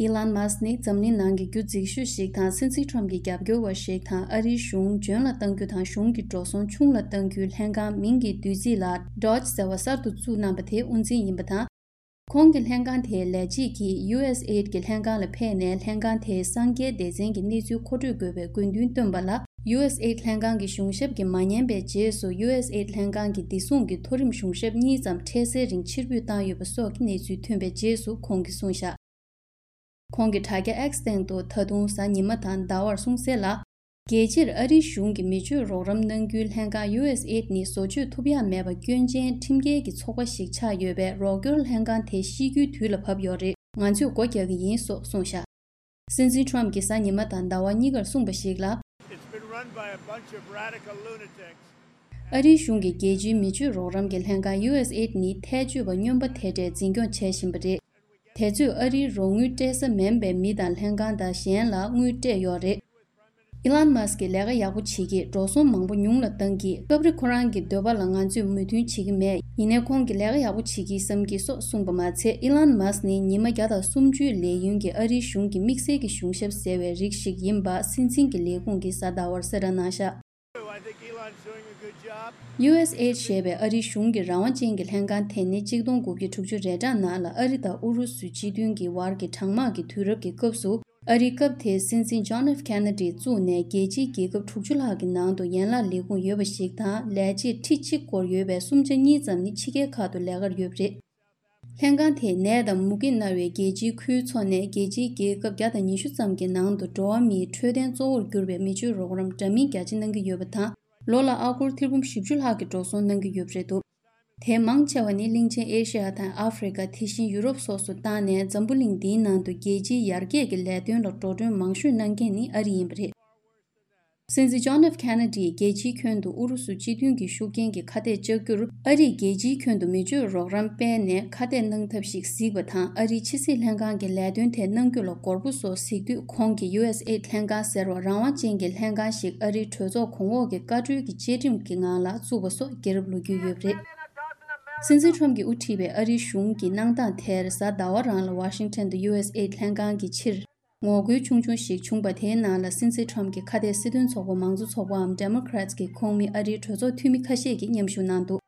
ཨི་ལན་མཱ་སི་ནི་འཛམ་གླིང་ནང་གི་རྒྱུ་རྫིག་ཤོས་ཤིག་དང་སྲིད་འཛིན་ཁྲོམ་གྱི་རྒྱབ་སྐྱོར་བ་ཞིག་དང་ཨ་རིའི་གཞུང་འཇོན་ལ་གཏང་རྒྱུ་དང་གཞུང་གི་འགྲོ་སོང་ཆུང་ལ་གཏང་རྒྱུའི་ལྷན་ཁང་མིང་གི་བསྡུས་ཚིག་ལ་ཌོཇ་ཟེར་བ་གསར་དུ་བཙུགས་གནང་པ་དེ་དབུ་འཛིན་ཡིན་པ་དང་། ཁོང་གི་ལྷན་ཁང་དེའི་ལས་བྱེད་ཀྱིས་ཡུ་ཨེས་ཨེ་ཌི་གི་ལྷན་ཁང་ལ་ཕེབས་ནས་ལྷན་ཁང་དེའི་གསང་རྒྱའི་སྡེ་ཚན་གྱི་གནས་ཚུལ་མཁོ་སྤྲོད་དགོས་པའི་དགོས་འདུན་བཏོན་པ་ལ་ཡུ་ཨེས་ཨེ་ཌི་ལྷན་ཁང་གི་གཞུང་ཞབས་ཀྱིས་མ་ཉན་པའི་རྗེས་སུ་ཡུ་ཨེས་ཨེ་ཌི་ལྷན་ཁང་གི་བདེ་སྲུང་གི་མཐོ་རིམ་གཞུང་ཞབས་གཉིས་ཙམ་འཕྲལ་སེལ་རིང་ཕྱིར་འབུད་བཏང་ཡོད་པ་སོགས་ཀྱི་གནས་ཚུལ་ཐོན་པའི་རྗེས་སུ་ཁོང་གིས་གསུངས་བཞག་ཁོང་གིས་དྲ་རྒྱ་X སྟེང་དུ་ད་དུང་གཟའ་ཉི་མ་དང་ཟླ་བར་གསུངས་གསལ་ལ། རྒྱལ་སྤྱིར་ཨ་རིའི་གཞུང་གིས་མི་སྤྱོད་རོགས་རམ་གནང་རྒྱུའི་ལྷན་ཁང་ཡུ་ཨེས་ཨེ་ཌི་ནི་བཟོ་བཅོས་ཐུབ་ཡག་མེད་པ་སྐྱོན་ཅན་ཁྲིམས་འགལ་གྱི་ཚོགས་པ་ཞིག་ཆགས་ཡོད་པས་རོགས་སྐྱོར་ལྷན་ཁང་དེ་ཤི་རྒྱུའི་དུས་ལ་བབ་ཡོད་རེད། ང་ཚོས་སྒོ་རྒྱག་གི་ཡིན་སོགས་གསུངས་བཞག་སྲིད་འཛིན་ཁྲོམ་གྱིས་གཟའ་ཉི་མ་དང་ཟླ་བ་གཉིས་ཀར་གསུངས་པ་ཞིག་ལ། It's been run by a bunch of radical lunatics. ཨ་རིའི་གཞུང་གིས་རྒྱལ་སྤྱིའི་མི་སྤྱོད་རོགས་རམ་གྱི་ལྷན་ཁང་ཡུ་ཨེས་ཨེ་ཌི་ནི་ཐལ་ཆོད་པ་སྨྱོན་པ་དེ་འདྲས་འཛིན་སྐྱོང་བྱེད་བཞིན་པ་རེད། དེ་ཚོས་ཨ་རིའི་རོགས་དངུལ་སྤྲད་ས་མིན་པའི་མི་དང་ལྷན་ཁང་དང་གཞན་ལ་དངུལ་སྤྲད་ཡོད་རེད། ཨི་ལན་མཱ་སི་ཀྱིས་ལས་ཀ་ཡག་པོ་བྱེད་ཀྱིས་འགྲོ་སོང་མང་པོ་ཉུང་ལ་བཏང་གིས་སྐབས་རེ་ཁོ་རང་གི་འདོད་པ་ལ་ང་ཚོས་མོས་མཐུན་བྱེད་ཀྱི་མེད། ཡིན་ནའི་ཁོང་གིས་ལས་ཀ་ཡག་པོ་བྱེད་ཀྱིས་བསམ་གྱིས་སོགས་གསུངས་པ་མ་ཚད་ཨི་ལན་མཱ་སི་ནི་ཉི་མ་བརྒྱ་དང་སུམ་ཅུའི་ལས་ཡུན་གྱི་ཨ་རིའི་གཞུང་གི་དམིགས་བསལ་གྱི་གཞུང་ཞབས་ཟེར་བའི་རིགས་ཤིག་ཡིན་པ་སྲིད་འཛིན་གྱི་ལས་ཁུངས་ཀྱིས་གཟའ་ཟླ་བར་གསལ་བསྒྲགས་གནང་བཞག I think Elon's doing a good job. ཡུ་ཨེས་ཨེ་ཌི་ཞེས་པའི་ཨ་རིའི་གཞུང་གི་རང་དབང་ཅན་གྱི་ལྷན་ཁང་དེ་ནི་གཅིག་སྟོང་དགུ་བརྒྱ་དྲུག་ཅུ་རེ་གྲངས་ནང་ལ་ཨ་རི་དང་ཨུ་རུ་སུའི་སྤྱི་མཐུན་གྱི་བར་གྱི་གྲང་དམག་གི་དུས་རབས་ཀྱི་སྐབས་སུ་ཨ་རིའི་སྐབས་དེའི་སྲིད་འཛིན་ཇོན་ཨེཕ་ཁེ་ན་ཌི་བཙུགས་ནས་རྒྱལ་སྤྱིའི་རྒྱལ་ཁབ་དྲུག་ཅུ་ལྷག་གི་ནང་དུ་ཡན་ལག་ལས་ཁུངས་ཡོད་པ་ཞིག་དང་ལས་བྱེད་ཁྲི་གཅིག་སྐོར་ཡོད་པའི་གསུམ་ཆ་གཉིས་ཙམ་ནི་ཕྱི་རྒྱལ་ཁག་ཏུ་ལས་ཀར་ཡོད་པ་རེད། ལྷན་ཁང་དེས་ནད་དང་མུ་གེ་མནར་བའི་རྒྱལ་སྤྱིའི་ཁུལ་ཚོ་ནས་རྒྱལ་སྤྱིའི་རྒྱལ་ཁབ་བརྒྱ་དང་ཉི་ཤུ་ཙམ་གྱི་ནང་དུ་འགྲོ་བ་མིའི་འཕྲོད་བསྟེན་གཙོ་བོར་གྱུར་པའི་མི་སྤྱོད་རོགས་རམ་འདྲ་མིན་རྒྱ་ཆེ་གནང་གི་ཡོད་པ་དང་། ལོ་ལ་ཨ་སྒོར་ཐེར་འབུམ་བཞི་བཅུ་ལྷག་གི་འགྲོ་སོང་གནང་གི་ཡོད་པ་རེད་འདུག་དེའི་མང་ཆེ་བ་ནི་གླིང་ཆེན་ཨེ་ཤི་ཡ་དང་ཨ་ཧྥེ་རི་ཀ་དེ་བཞིན་ཡུ་རོབ་སོགས་སུ་བཏང་ནས་འཛམ་བུ་གླིང་འདིའི་ནང་དུ་རྒྱལ་སྤྱིའི་ཡར་རྒྱས་ཀྱི་ལས་དོན་ལ་འགྲོ་གྲོན་མང་ཤོས་གནང་མཁན་ནི་ཨ་རི་ཡིན་པ་རེད། སྲིད་འཛིན་ཇོན་ཨེཕ་ཁེ་ན་ཌིས་རྒྱལ་སྤྱིའི་ཁྱོན་དུ་ཨུ་རུ་སུ་སྤྱི་མཐུན་གྱི་ཤུགས་རྐྱེན་གྱི་ཁ་གཏད་བཅག་རྒྱུར་ཨ་རིས་རྒྱལ་སྤྱིའི་ཁྱོན་དུ་མི་སྤྱོད་རོགས་རམ་སྤེལ་ནས་ཁ་གཏད་གནང་ཐབས་ཤིག་གཟིགས་པ་དང་ཨ་རིའི་ཕྱི་སྲིད་ལྷན་ཁང་གི་ལས་དོན་ཐད་གནང་རྒྱུ་ལ་དགོས་པ་སོགས་གཟིགས་དུས་ཁོང་གིས་ཡུ་ཨེས་ཨེ་ལྷན་ཁང་ཟེར་བ་རང་དབང་ཅན་གྱི་ལྷན་ཁང་ཞིག་ཨ་རིའི་གྲོས་ཚོགས་གོང་འོག་གི་བཀའ་འཁྲོལ་གྱི་བཅའ་ཁྲིམས་ཀྱི་ངང་ལ་བཙུགས་པ་སོགས་རྒྱལ་རབས་ལོ་རྒྱུས་ཡོད་པ་རེད། སྲིད་འཛིན་ཁྲོམ་གྱིས་དབུ་ཁྲིད་པའི་ཨ་རིའི་གཞུང་གི་གནང་སྟངས་དེར་གཟའ་ཟླ་བ་རང་ལ་ཝ་ཤིང་ཊོན་དུ་ཡུ་ཨེས་ཨེ་ལྷན་ཁང་གི་ཕྱིར། ངོ་རྒོལ་ཆུང་ཆུང་ཞིག་བྱུང་པ་དེའི་ནང་ལ་སྲིད་འཛིན་ཁྲོམ་གྱི་ཁ་གཏད་སྲིད་དོན་ཚོགས་པ་མང་གཙོ་ཚོགས་པའམ་Democrats གྱི་ཁོངས་མི་ཨ་རིའི་གྲོས་ཚོགས་འཐུས་མི་ཁ་ཤས་ཀྱིས་མཉམ་ཞུགས་གནང་འདུག་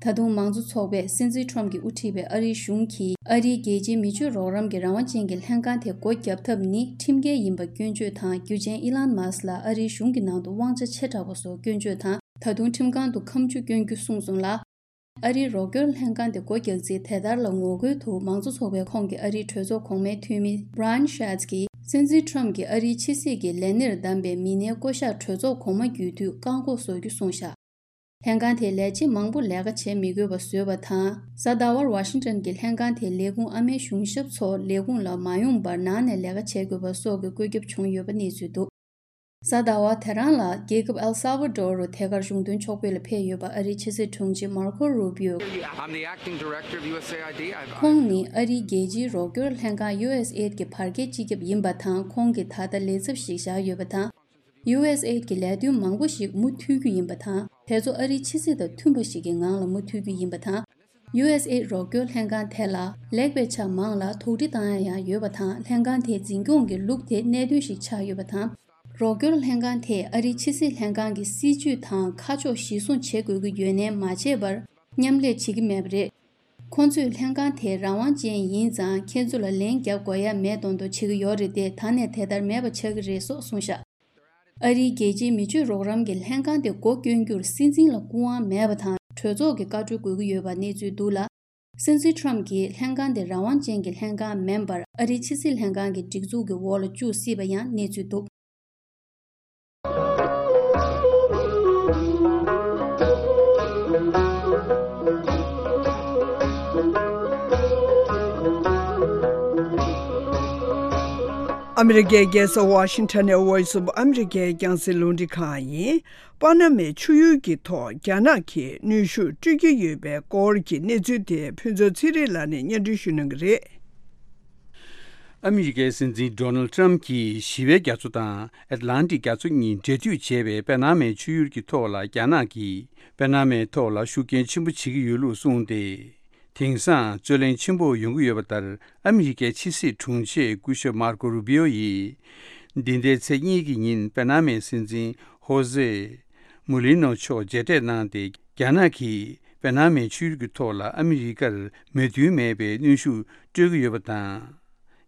ད་དུང་མང་གཙོ་ཚོགས་པས་སྲིད་འཛིན་ཁྲོམ་གྱིས་དབུ་ཁྲིད་པའི་ཨ་རིའི་གཞུང་གིས་ཨ་རིའི་རྒྱལ་སྤྱིའི་མི་སྤྱོད་རོགས་རམ་གྱི་རང་དབང་ཅན་གྱི་ལྷན་ཁང་དེ་སྒོ་བརྒྱབ་ཐབས་ནི་ཁྲིམས་འགལ་ཡིན་པ་སྐྱོན་བརྗོད་དང་རྒྱུ་ཆེན་ཨི་ལན་མཱ་སི་ལ་ཨ་རིའི་གཞུང་གི་ནང་དུ་དབང་ཆ་ཆེ་དྲགས་པ་སོགས་སྐྱོན་བརྗོད་དང་ད་དུང་ཁྲིམས་ཁང་དུ་ཁ་མཆུ་བསྐྱོན་རྒྱུ་གསུངས་སོང་ལ། ཨ་རིའི་རོགས་སྐྱོར་ལྷན་ཁང་དེ་སྒོ་རྒྱག་རྩིས་དེ་ལྟར་ལ་ངོ་རྒོལ་དུ་མང་གཙོ་ཚོགས་པའི་ཁོངས་ཀྱི་ཨ་རིའི་གྲོས་ཚོགས་གོང་མའི་འཐུས་མི་Brian Schatz གྱིས་སྲིད་འཛིན་ཁྲོམ་གྱིས་ཨ་རིའི་ཕྱི་སྲིད་ཀྱི་ལས་སྣེར་བདམས་པའི་མི་སྣའི་བསྐོ་གཞག་གྲོས་ཚོགས་གོང་མ་བརྒྱུད་དུས་བཀག་འགོག་བཟོ་རྒྱུ་གསུངས་བཞག་ལྷན་ཁང་དེས་ལས་བྱེད་མང་པོ་ལས་ཀ་བྱེད་མི་དགོས་པ་བཟོས་པ་དང་། གཟའ་ཟླ་བར་ཝ་ཤིང་ཊོན་གྱི་ལྷན་ཁང་དེའི་ལས་ཁུངས་ཨ་མའི་གཞུང་ཞབས་ཚོ་ལས་ཁུངས་ལ་མ་ཡོང་བར་ནང་ནས་ལས་ཀ་བྱེད་དགོས་པ་སོགས་ཀྱི་བཀོད་ཁྱབ་བྱུང་ཡོད་པ་གནས་ཚུལ་འདུག་གཟའ་ཟླ་བ་དེ་རང་ལ་རྒྱལ་ཁབ་ཨེལ་སཱ་ཝ་ཌོར་རུ་ཐད་ཀར་གཞུང་དོན་ཕྱོགས་ཕེབས་ལ་ཕེབས་ཡོད་པ་ཨ་རིའི་ཕྱི་སྲིད་དྲུང་ཆེ་མར་ཁོ་རུ་བིའོ། I'm the acting director of U S A I D. I've ཁོང་ནི་ཨ་རིའི་རྒྱལ་སྤྱིའི་རོགས་སྐྱོར་ལྷན་ཁང་ཡུ་ཨེས་ཨེ་ཌི་གི་བར་བརྒལ་སྤྱི་ཁྱབ་ཡིན་པ་དང་ཁོང་གིས་ད་ལྟ་ལས་ཚབ་ཞིག་བཞག་ཡོད་པ་དང་། ཡུ་ཨེས་ཨེ་ཌི་གི་ལས་དོན་མང་པོ་ཞིག་མུ་མཐུད་རྒྱུ་ཡིན་པ་དང་དེ་ཚོ་ཨ་རིའི་ཕྱི་སྲིད་དང་མཐུན་པ་ཞིག་གི་ངང་ལ་མུ་མཐུད་རྒྱུ་ཡིན་པ་དང་། ཡུ་ཨེས་ཨེ་ཌི་རོགས་སྐྱོར་ལྷན་ཁང་དེ་ལ་ལེགས་པའི་ཆ་མང་ལ་དོགས་འདྲི་བཏང་ཡ་ཡང་ཡོད་པ་དང་ལྷན་ཁང་དེའི་འཛིན་སྐྱོང་གི་ལུགས་དེ་གནད་དོན་ཞིག་ཆགས་ཡོད་པ་དང་། རོགས་སྐྱོར་ལྷན་ཁང་དེས་ཨ་རིའི་ཕྱི་སྲིད་ལྷན་ཁང་གི་སྲིད་ཇུས་དང་ཁ་ཕྱོགས་གཞིར་བཟུང་བྱེད་དགོས་ཀྱི་ཡོད་ནའི་མ་བྱས་པར་མཉམ་ལས་བྱེད་ཀྱི་མེད་པ་རེད། ཁོང་ཚོས་ལྷན་ཁང་དེ་རང་དབང་ཅན་ཡིན་ཙང་ཁྱེད་ཚོ་ལ་ལན་རྒྱག་དགོས་ཡ་མེད་མདོག་མདོག་བྱེད་ཀྱི་ཡོད་རེད་དེ་ད་ནས་དེ་ལྟར་མེད་པ་ཆགས་ཀྱི་རེད་སོགས་གསུངས་བཞག་ཨ་རིའི་རྒྱལ་སྤྱིའི་མི་སྤྱོད་རོགས་རམ་གྱི་ལྷན་ཁང་དེ་སྒོ་སྐྱོན་རྒྱུར་སྲིད་འཛིན་ལ་སྐུ་དབང་མེད་པ་དང་གྲོས་ཚོགས་ཀྱི་བཀའ་འཁྲོལ་དགོས་ཀྱི་ཡོད་པ་གནས་ཚུལ་འདུག་ལ། སྲིད་འཛིན་ཁྲོམ་གྱིས་ལྷན་ཁང་དེ་རང་དབང་ཅན་གྱི་ལྷན་ཁང་མིན་པར་ཨ་རིའི་ཕྱི་སྲིད་ལྷན་ཁང་གི་སྒྲིག་འཛུགས་ཀྱི་འོག་ལ་བཅུག་སྲིད་པ་ཡང་གནས་ཚུལ་འདུག་ཨ་མི་རི་ཀའི་རྒྱལ་ས་ཝ་ཤིང་ཊོན་ནས་Voice of America་རྒྱང་སྲིང་རླུང་འཕྲིན་ཁང་ཡིན། པ་ན་མའི་ཆུ་ཡུར་གྱི་ཐོག་རྒྱ་ནག་གིས་གནོན་ཤུགས་སྤྲོད་ཀྱི་ཡོད་པའི་སྐོར་གྱི་གནས་ཚུལ་དེ་ཕུན་ཚོགས་ཚེ་རིང་ལགས་ནས་སྙན་སྒྲོན་ཞུ་གནང་གི་རེད། ཨ་མི་རི་ཀའི་སྲིད་འཛིན་ཌོ་ནལ་ཊམ་གྱིས་ཞི་བའི་རྒྱ་མཚོ་དང་ཨེཊ་ལན་ཊིག་རྒྱ་མཚོ་གཉིས་འབྲེལ་མཐུད་བྱས་པའི་པ་ན་མའི་ཆུ་ཡུར་གྱི་ཐོག་ལ་རྒྱ་ནག་གིས་པ་ན་མའི་ཐོག་ལ་ཤུགས་རྐྱེན་ཆེན་པོ་བྱེད་ཀྱི་ཡོད་ལུགས་གསུངས་ཏེ། དེང་སང་རྩོད་གླེང་ཆེན་པོ་ཡོང་གི་ཡོད་པ་ལྟར། ཨ་མི་རི་ཀའི་ཕྱི་སྲིད་དྲུང་ཆེ་སྐུ་ཞབས་མར་ཀོ་རུ་བི་ཡོ་ཡིས། འདི་ཟླའི་ཚེས་གཉིས་ཀྱི་ཉིན་པ་ན་མའི་སྲིད་འཛིན་ཧོ་ཟེ་མུ་ལི་ནོ་མཆོག་མཇལ་འཕྲད་གནང་སྟེ། རྒྱ་ནག་གིས་པ་ན་མའི་ཆུ་ཡུར་གྱི་ཐོག་ལ་ཨ་མི་རི་ཀར་མོས་མཐུན་མེད་པའི་གནོན་ཤུགས་སྤྲོད་ཀྱི་ཡོད་པ་དང་།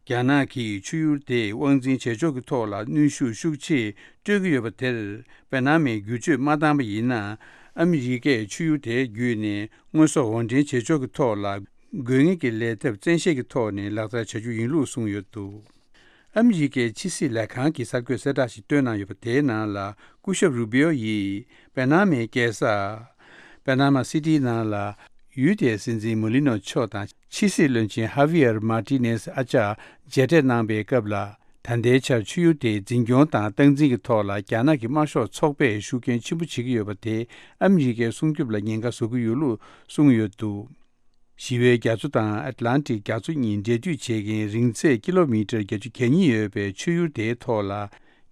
རྒྱ་ནག་གིས་ཆུ་ཡུར་དེ་དབང་འཛིན་བྱེད་ཕྱོགས་ཀྱི་ཐོག་ལ་གནོན་ཤུགས་ཤུགས་ཆེ་སྤྲོད་ཀྱི་ཡོད་པ་དེར། པ་ན་མས་བསྒྱུར་བཅོས་མ་བཏང་པ་ཡིན་ན། ཨ་མི་རི་ཀས་ཆུ་ཡུར་དེ་བརྒྱུད་ནས་དངོས་ཟོག་འོར་འདྲེན་བྱེད་ཕྱོགས་ཀྱི་ཐོག་ལ། དགོས་ངེས་ཀྱི་ལས་ཐབས་བཙན་ཤེད་ཀྱི་ཐོག་ནས་ལག་བསྟར་བྱ་རྒྱུ་ཡིན་ལུགས་གསུངས་ཡོད་འདུག་ཨ་མི་རི་ཀའི་ཕྱི་སྲིད་ལས་ཁང་གིས་གསར་འགོད་གསལ་བསྒྲགས་ཤིག་བཏོན་གནང་ཡོད་པ་དེའི་ནང་ལ། སྐུ་ཞབས་རུ་བི་ཡོ་ཡིས་པ་ན་མའི་རྒྱལ་ས་པ་ན་མ་སི་ཏིའི་ནང་ལ། ཡུལ་དེའི་སྲིད་འཛིན་མུ་ལི་ནོ་མཆོག་དང་ཕྱི་སྲིད་བློན་ཆེན་ཧ་བི་ཡར་མར་ཏི་ནེ་སི་ཨ་ཅག་མཇལ་འཕྲད་གནང་པའི་སྐབས་ལ། ད་ལྟའི་ཆར་ཆུ་ཡུར་དེའི་འཛིན་སྐྱོང་དང་སྟངས་འཛིན་གྱི་ཐོག་ལ་རྒྱ་ནག་གི་དམར་ཤོག་ཚོགས་པས་ཤུགས་རྐྱེན་ཆེན་པོ་བྱེད་ཀྱི་ཡོད་པ་དེས་ཨ་མི་རི་ཀའི་སྲུང་སྐྱོབ་ལ་ཉེན་ཁ་བཟོ་གི་ཡོད་ལུགས་གསུངས་ཡོད་འདུག་ཞི་བའི་རྒྱ་མཚོ་དང་ཨེཊ་ལན་ཊིག་རྒྱ་མཚོ་གཉིས་འབྲེལ་མཐུད་བྱེད་མཁན་རིང་ཚད་ཀི་ལོ་མི་ཊར་བརྒྱད་ཅུ་གྱ་གཉིས་ཡོད་པའི་ཆུ་ཡུར་དེའི་ཐོག་ལ།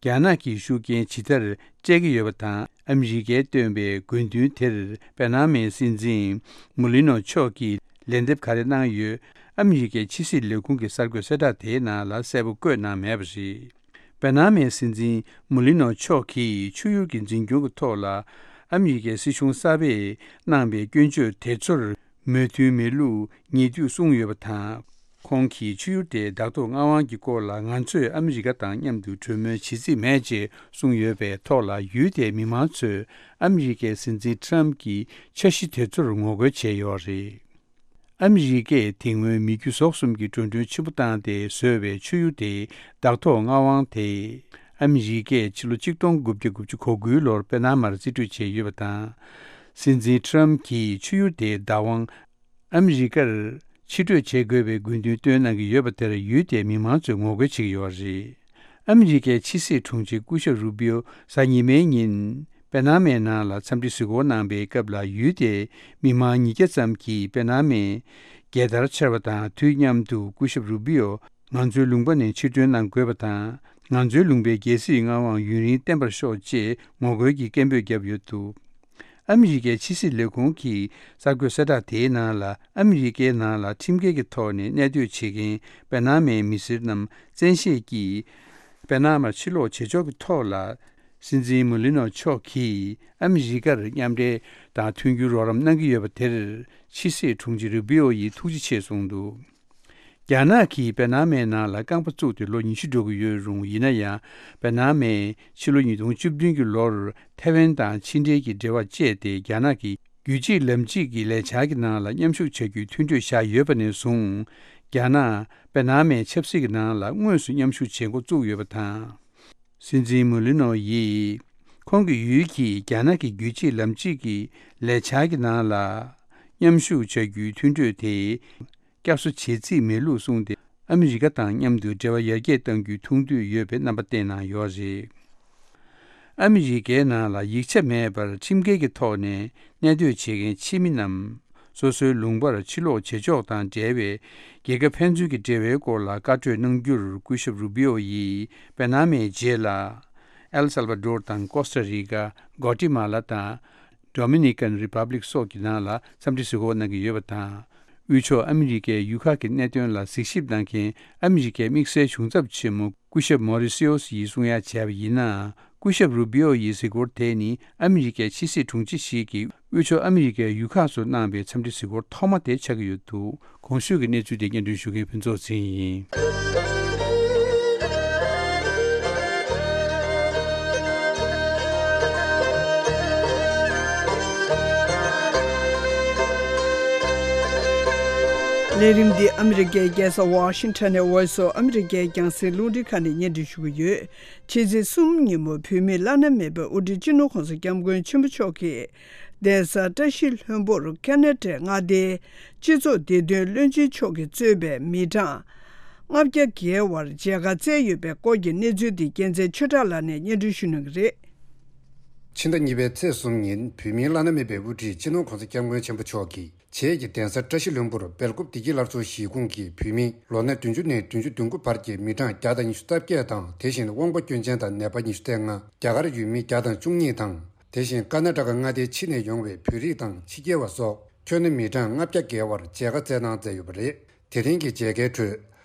རྒྱ་ནག་གིས་ཤུགས་རྐྱེན་ཇི་ལྟར་སྤྲད་ཀྱི་ཡོད་པ་དང་། ཨ་མི་རི་ཀས་བཏོན་པའི་དགོས་འདུན་དེར་པ་ན་མའི་སྲིད་འཛིན་མུ་ལི་ནོ་མཆོག་གིས་ལན་འདེབས་ག་རེ་གནང་ཡོད། ཨ་མི་རི་ཀའི་ཕྱི་སྲིད་ལས་ཁུངས་ཀྱི་གསར་འགོད་གསལ་བསྒྲགས་དེའི་ནང་ལ་གསལ་པོ་བཀོད་གནང་མེད་པ་རེད། པ་ན་མའི་སྲིད་འཛིན་མུ་ལི་ནོ་མཆོག་གིས་ཆུ་ཡུར་གྱི་འཛིན་སྐྱོང་གི་ཐོག་ལ། ཨ་མི་རི་ཀའི་སྲིད་གཞུང་གསར་པས་གནང་པའི་སྐྱོན་བརྗོད་དེ་ཚོར་མོས་མཐུན་མེད་ལུགས་ཉེ་དུས་གསུངས་ཡོད་པ་དང་། ཁོང་གིས་ཆུ་ཡུར་དེའི་བདག་ཐོག་མངའ་དབང་གི་སྐོར་ལ་ང་ཚོས་ཨ་མི་རི་ཀ་དང་མཉམ་དུ་གྲོས་མོལ་བྱེད་རྩིས་མེད་ཅེས་གསུངས་ཡོད་པའི་ཐོག་ལ། ཡུལ་དེའི་མི་མང་ཚོས་ཨ་མི་རི་ཀའི་སྲིད་འཛིན་ཊམ་གྱི་འཆར་གཞི་དེ་ཚོར་ངོ་རྒོལ་བྱས་ཡོད་རེད། ཨ་མི་རི་ཀས་དེ་སྔོན་མི་རྒྱུ་ཟོག་གསུམ་གྱི་འགྲོ་གྲོན་ཆེན་པོ་བཏང་སྟེ་བཟོས་པའི་ཆུ་ཡུར་དེའི་བདག་ཐོག་མངའ་དབང་དེ། ཨ་མི་རི་ཀས་ཕྱི་ལོ་གཅིག་སྟོང་དགུ་བརྒྱ་དགུ་བཅུ་གོ་དགུའི་ལོར་པེ་ན་མར་རྩིས་སྤྲོད་བྱས་ཡོད་པ་དང་། སྲིད་འཛིན་ཊམ་གྱིས་ཆུ་ཡུར་དེའི་བདག་དབང་ཨ་མི་རི་ཀར་ཕྱིར་སྤྲོད་བྱེད་དགོས་པའི་དགོས་འདུན་བཏོན་གནང་གི་ཡོད་པ་དེར། ཡུལ་དེའི་མི་མང་ཚོས་ངོ་རྒོལ་བྱེད་ཀྱི་ཡོད་པ་རེད། ཨ་མི་རི་ཀའི་ཕྱི་སྲིད་དྲུང་ཆེ་སྐུ་ཞབས་རུ་བི་ཡོ་གཟའ་ཉི་མའི་ཉིན་པེ་ན་མའི་ནང་ལ་འཚམས་འདྲི་གཟིགས་སྐོར་གནང་པའི་སྐབས་ལ། ཡུལ་དེའི་མི་མང་ཉིས་བརྒྱ་ཙམ་གྱིས་པེ་ན་མའི་རྒྱལ་དར་འཕྱར་བ་དང་དུས་མཉམ་དུ། སྐུ་ཞབས་རུ་བི་ཡོ་ང་ཚོའི་ལུང་པ་ནས་ཕྱིར་ཐོན་གནང་དགོས་པ་དང་། ང་ཚོའི་ལུང་པའི་རྒྱལ་སྲིད་མངའ་དབང་ཡུན་རིང་བརྟན་པར་ཤོག་ཅེས་ངོ་རྒོལ་གྱི་སྐད་འབོད་བརྒྱབ་ཡོད་འདུག་ཨ་མི་རི་ཀའི་ཕྱི་སྲིད་ལས་ཁུངས་ཀྱི་གསར་འགོད་གསལ་བསྒྲགས་དེའི་ནང་ལ། ཨ་མི་རི་ཀའི་ནང་ལ་ཁྲིམས་འགལ་གྱི་ཐོག་ནས་གནས་སྡོད་བྱེད་མཁན་པེ་ན་མའི་མི་སེར་རྣམས་བཙན་ཤེད་ཀྱིས་པེ་ན་མར་ཕྱིར་ལོག་བྱེད་ཕྱོགས་ཀྱི་ཐོག་ལ། སྲིད་འཛིན་མུ་ལི་ནོ་མཆོག་གིས་ཨ་མི་རི་ཀར་མཉམ་འབྲེལ་དང་མཐུན་འགྱུར་རོགས་རམ་གནང་གི་ཡོད་པ་དེར། ཕྱི་སྲིད་དྲུང་ཆེ་རུ་བི་ཡོ་ཡིས་ཐུགས་རྗེ་ཆེ་གསུངས་འདུག་རྒྱ་ནག་གིས་པེ་ན་མའི་ནང་ལ་རྐང་པ་བཙུགས་ཏེ་ལོ་ཉི་ཤུ་འགྲོ་གི་ཡོད་རུང་། ཡིན་ན་ཡང་པེ་ན་མས་ཕྱི་ལོ་ཉིས་སྟོང་བཅུ་བདུན་གྱི་ལོར་ཐའེ་ཝན་དང་ཕྱི་འབྲེལ་གྱི་འབྲེལ་བ་བཅད་དེ། རྒྱ་ནག་གི་རྒྱུད་གཅིག་ལམ་གཅིག་གི་ལས་འཆར་གྱི་ནང་ལ་མཉམ་ཞུགས་བྱ་རྒྱུའི་མཐུན་གྲོས་བཞག་ཡོད་པ་ནས་བཟུང་། རྒྱ་ནག་པེ་ན་མའི་ཆབ་སྲིད་ཀྱི་ནང་ལ་དངོས་སུ་མཉམ་ཞུགས་བྱེད་འགོ་བཙུགས་ཡོད་པ་དང་། སྲིད་འཛིན་མུ་ལི་ནོ་ཡིས་ཁོང་གི་ཡུལ་གྱིས་རྒྱ་ནག་གི་རྒྱུད་གཅིག་ལམ་གཅིག་གི་ལས་འཆར་གྱི་ནང་ལ་མཉམ་ཞུགས་བྱ་རྒྱུའི་མཐུན་གྲོས་དེ་བསྐྱར་གསོ་བྱེད་རྩིས་མེད་ལུགས་གསུངས་ཏེ། ཨ་མི་རི་ཀ་དང་མཉམ་དུ་འབྲེལ་བ་ཡར་རྒྱས་གཏང་རྒྱུའི་ཐུགས་འདུན་ཡོད་པའི་རྣམ་པ་བསྟན་གནང་ཡོད་རེད། ཨ་མི་རི་ཀའི་ནང་ལ་ཡིག་ཆ་མེད་པར་ཁྲིམས་འགལ་གྱི་ཐོག་ནས་གནས་སྡོད་བྱེད་མཁན་ཕྱི་མི་རྣམས། སོ་སོའི་ལུང་པར་ཕྱིར་ལོག་བྱེད་ཕྱོགས་དང་འབྲེལ་བའི་རྒྱལ་ཁབ་ཕན་ཚུན་གྱི་འབྲེལ་བའི་སྐོར་ལ་བཀའ་གྲོས་གནང་རྒྱུར། སྐུ་ཞབས་རུ་བི་ཡོ་ཡིས་པེ་ན་མའི་རྗེས་ལ། ཨེལ་སལ་བ་ཌོར་དང་ཀོ་སྟ་རི་ཀ། གོ་ཏི་མ་ལ་དང་། ཌོ་མི་ནི་ཀན་རི་པབ་ལིག་སོགས་ཀྱི་ནང་ལ་འཚམས་འདྲི་གཟིགས་སྐོར་གནང་གི་ཡོད་པ་དང་། དབུས་ཕྱོགས་ཨ་མི་རི་ཀའི་ཡུལ་ཁག་གི་གནད་དོན་ལ་གཟིགས་ཞིབ་གནང་མཁན་ཨ་མི་རི་ཀའི་དམིགས་བསལ་གཞུང་ཚབ་ཆེན་མོ་སྐུ་ཞབས་མོ་རི་སི་ཨོ་སི་ཡིས་གསུང་ཡ་བྱས་པ་ཡིན་ན། སྐུ་ཞབས་རུ་བི་ཨོ་ཡི་གཟིགས་སྐོར་དེ་ནི་ཨ་མི་རི་ཀའི་ཕྱི་སྲིད་དྲུང་ཆེ་ཞིག་གིས་དབུས་ཕྱོགས་ཨ་མི་རི་ཀའི་ཡུལ་ཁག་སུ་གནང་པའི་འཚམས་འདྲི་གཟིགས་སྐོར་ཐོག་མ་དེ་ཆགས་ཀྱི་ཡོད་འདུག་གོང་ཞུས་ཀྱི་གནས་ཚུལ་དེ་སྙན་སྒྲོན་ཞུ་མཁན་ཕུན་ཚོགས་ཚེ་རིང་ཡིན། ལས་རིམ་འདི་ཨ་མི་རི་ཀའི་རྒྱལ་ས་ཝ་ཤིང་ཊོན་ནས་Voice of America་རྒྱང་སྲིང་རླུང་འཕྲིན་ཁང་ནས་སྙན་སྒྲོན་ཞུ་གི་ཡོད། ཕྱི་ཚེས་གསུམ་ཉིན་མོ་བོད་མིའི་བླ་ན་མེད་པའི་དབུ་ཁྲིད་སྤྱི་ནོར་༸གོང་ས་༸སྐྱབས་མགོན་ཆེན་པོ་མཆོག་གིས་གདན་ས་བཀྲ་ཤིས་ལྷུན་པོར་ཁ་ན་ཌའི་མངའ་སྡེའི་སྤྱི་ཚོགས་བདེ་དོན་བློན་ཆེན་མཆོག་གིས་གཙོས་པའི་མི་གྲངས་ ལྔ་བརྒྱ་བརྒལ་བར་མཇལ་ཁ་བསྩལ་ཡོད་པའི་སྐོར་གྱི་གནས་ཚུལ་འདི་རྒྱལ་མཚན་ཆོས་གྲགས་ལགས་ནས་སྙན་སྒྲོན་ཞུ་གནང་གི་རེད། ཕྱི་ཟླ་གཉིས་པའི་ཚེས་གསུམ་ཉིན་བོད་མིའི་བླ་ན་མེད་པའི་དབུ་ཁྲིད་སྤྱི་ནོར་༧གོང་ས་༧སྐྱབས་མགོན་ཆེན་པོ་མཆོག་གིས་བྱེས་ཀྱི་གདན་ས་བཀྲ་ཤིས་ལྷུན་པོར་སྦེལ་ཀོབ་བདེ་སྐྱིད་སླར་གསོ་གཞིས་ཁོངས་ཀྱི་བོད་མི་ལོ་ན་བདུན་ཅུ་ནས་བདུན་ཅུ་དོན་དགུ་བར་གྱི་མི་གྲངས་བརྒྱ་དང་ཉི་ཤུ་རྩ་བརྒྱད་དང་། དེ་བཞིན་དབང་པོ་སྐྱོན་ཅན་དང་ནད་པ་ཉི་ཤུ་རྩ་ལྔ། རྒྱ་གར་ཡུལ་མི་བརྒྱ་དང་བཅུ་གཉིས་དང་། དེ་བཞིན་ཀར་ན་ཊ་ཀ་མངའ་སྡེའི་ཕྱི་ནས་ཡོང་བའི་བོད་རིགས་དང་ཕྱི་རྒྱལ་བ་སོགས་ཁྱོན་ནས་མི་གྲངས་ལྔ་བརྒྱ་བརྒལ་བར་མཇལ་ཁ་བསྩལ་གནང་མཛད་ཡོད་པ་རེད། དེ་རིང་གི་མཇལ་ཁའི་ཁྲོད།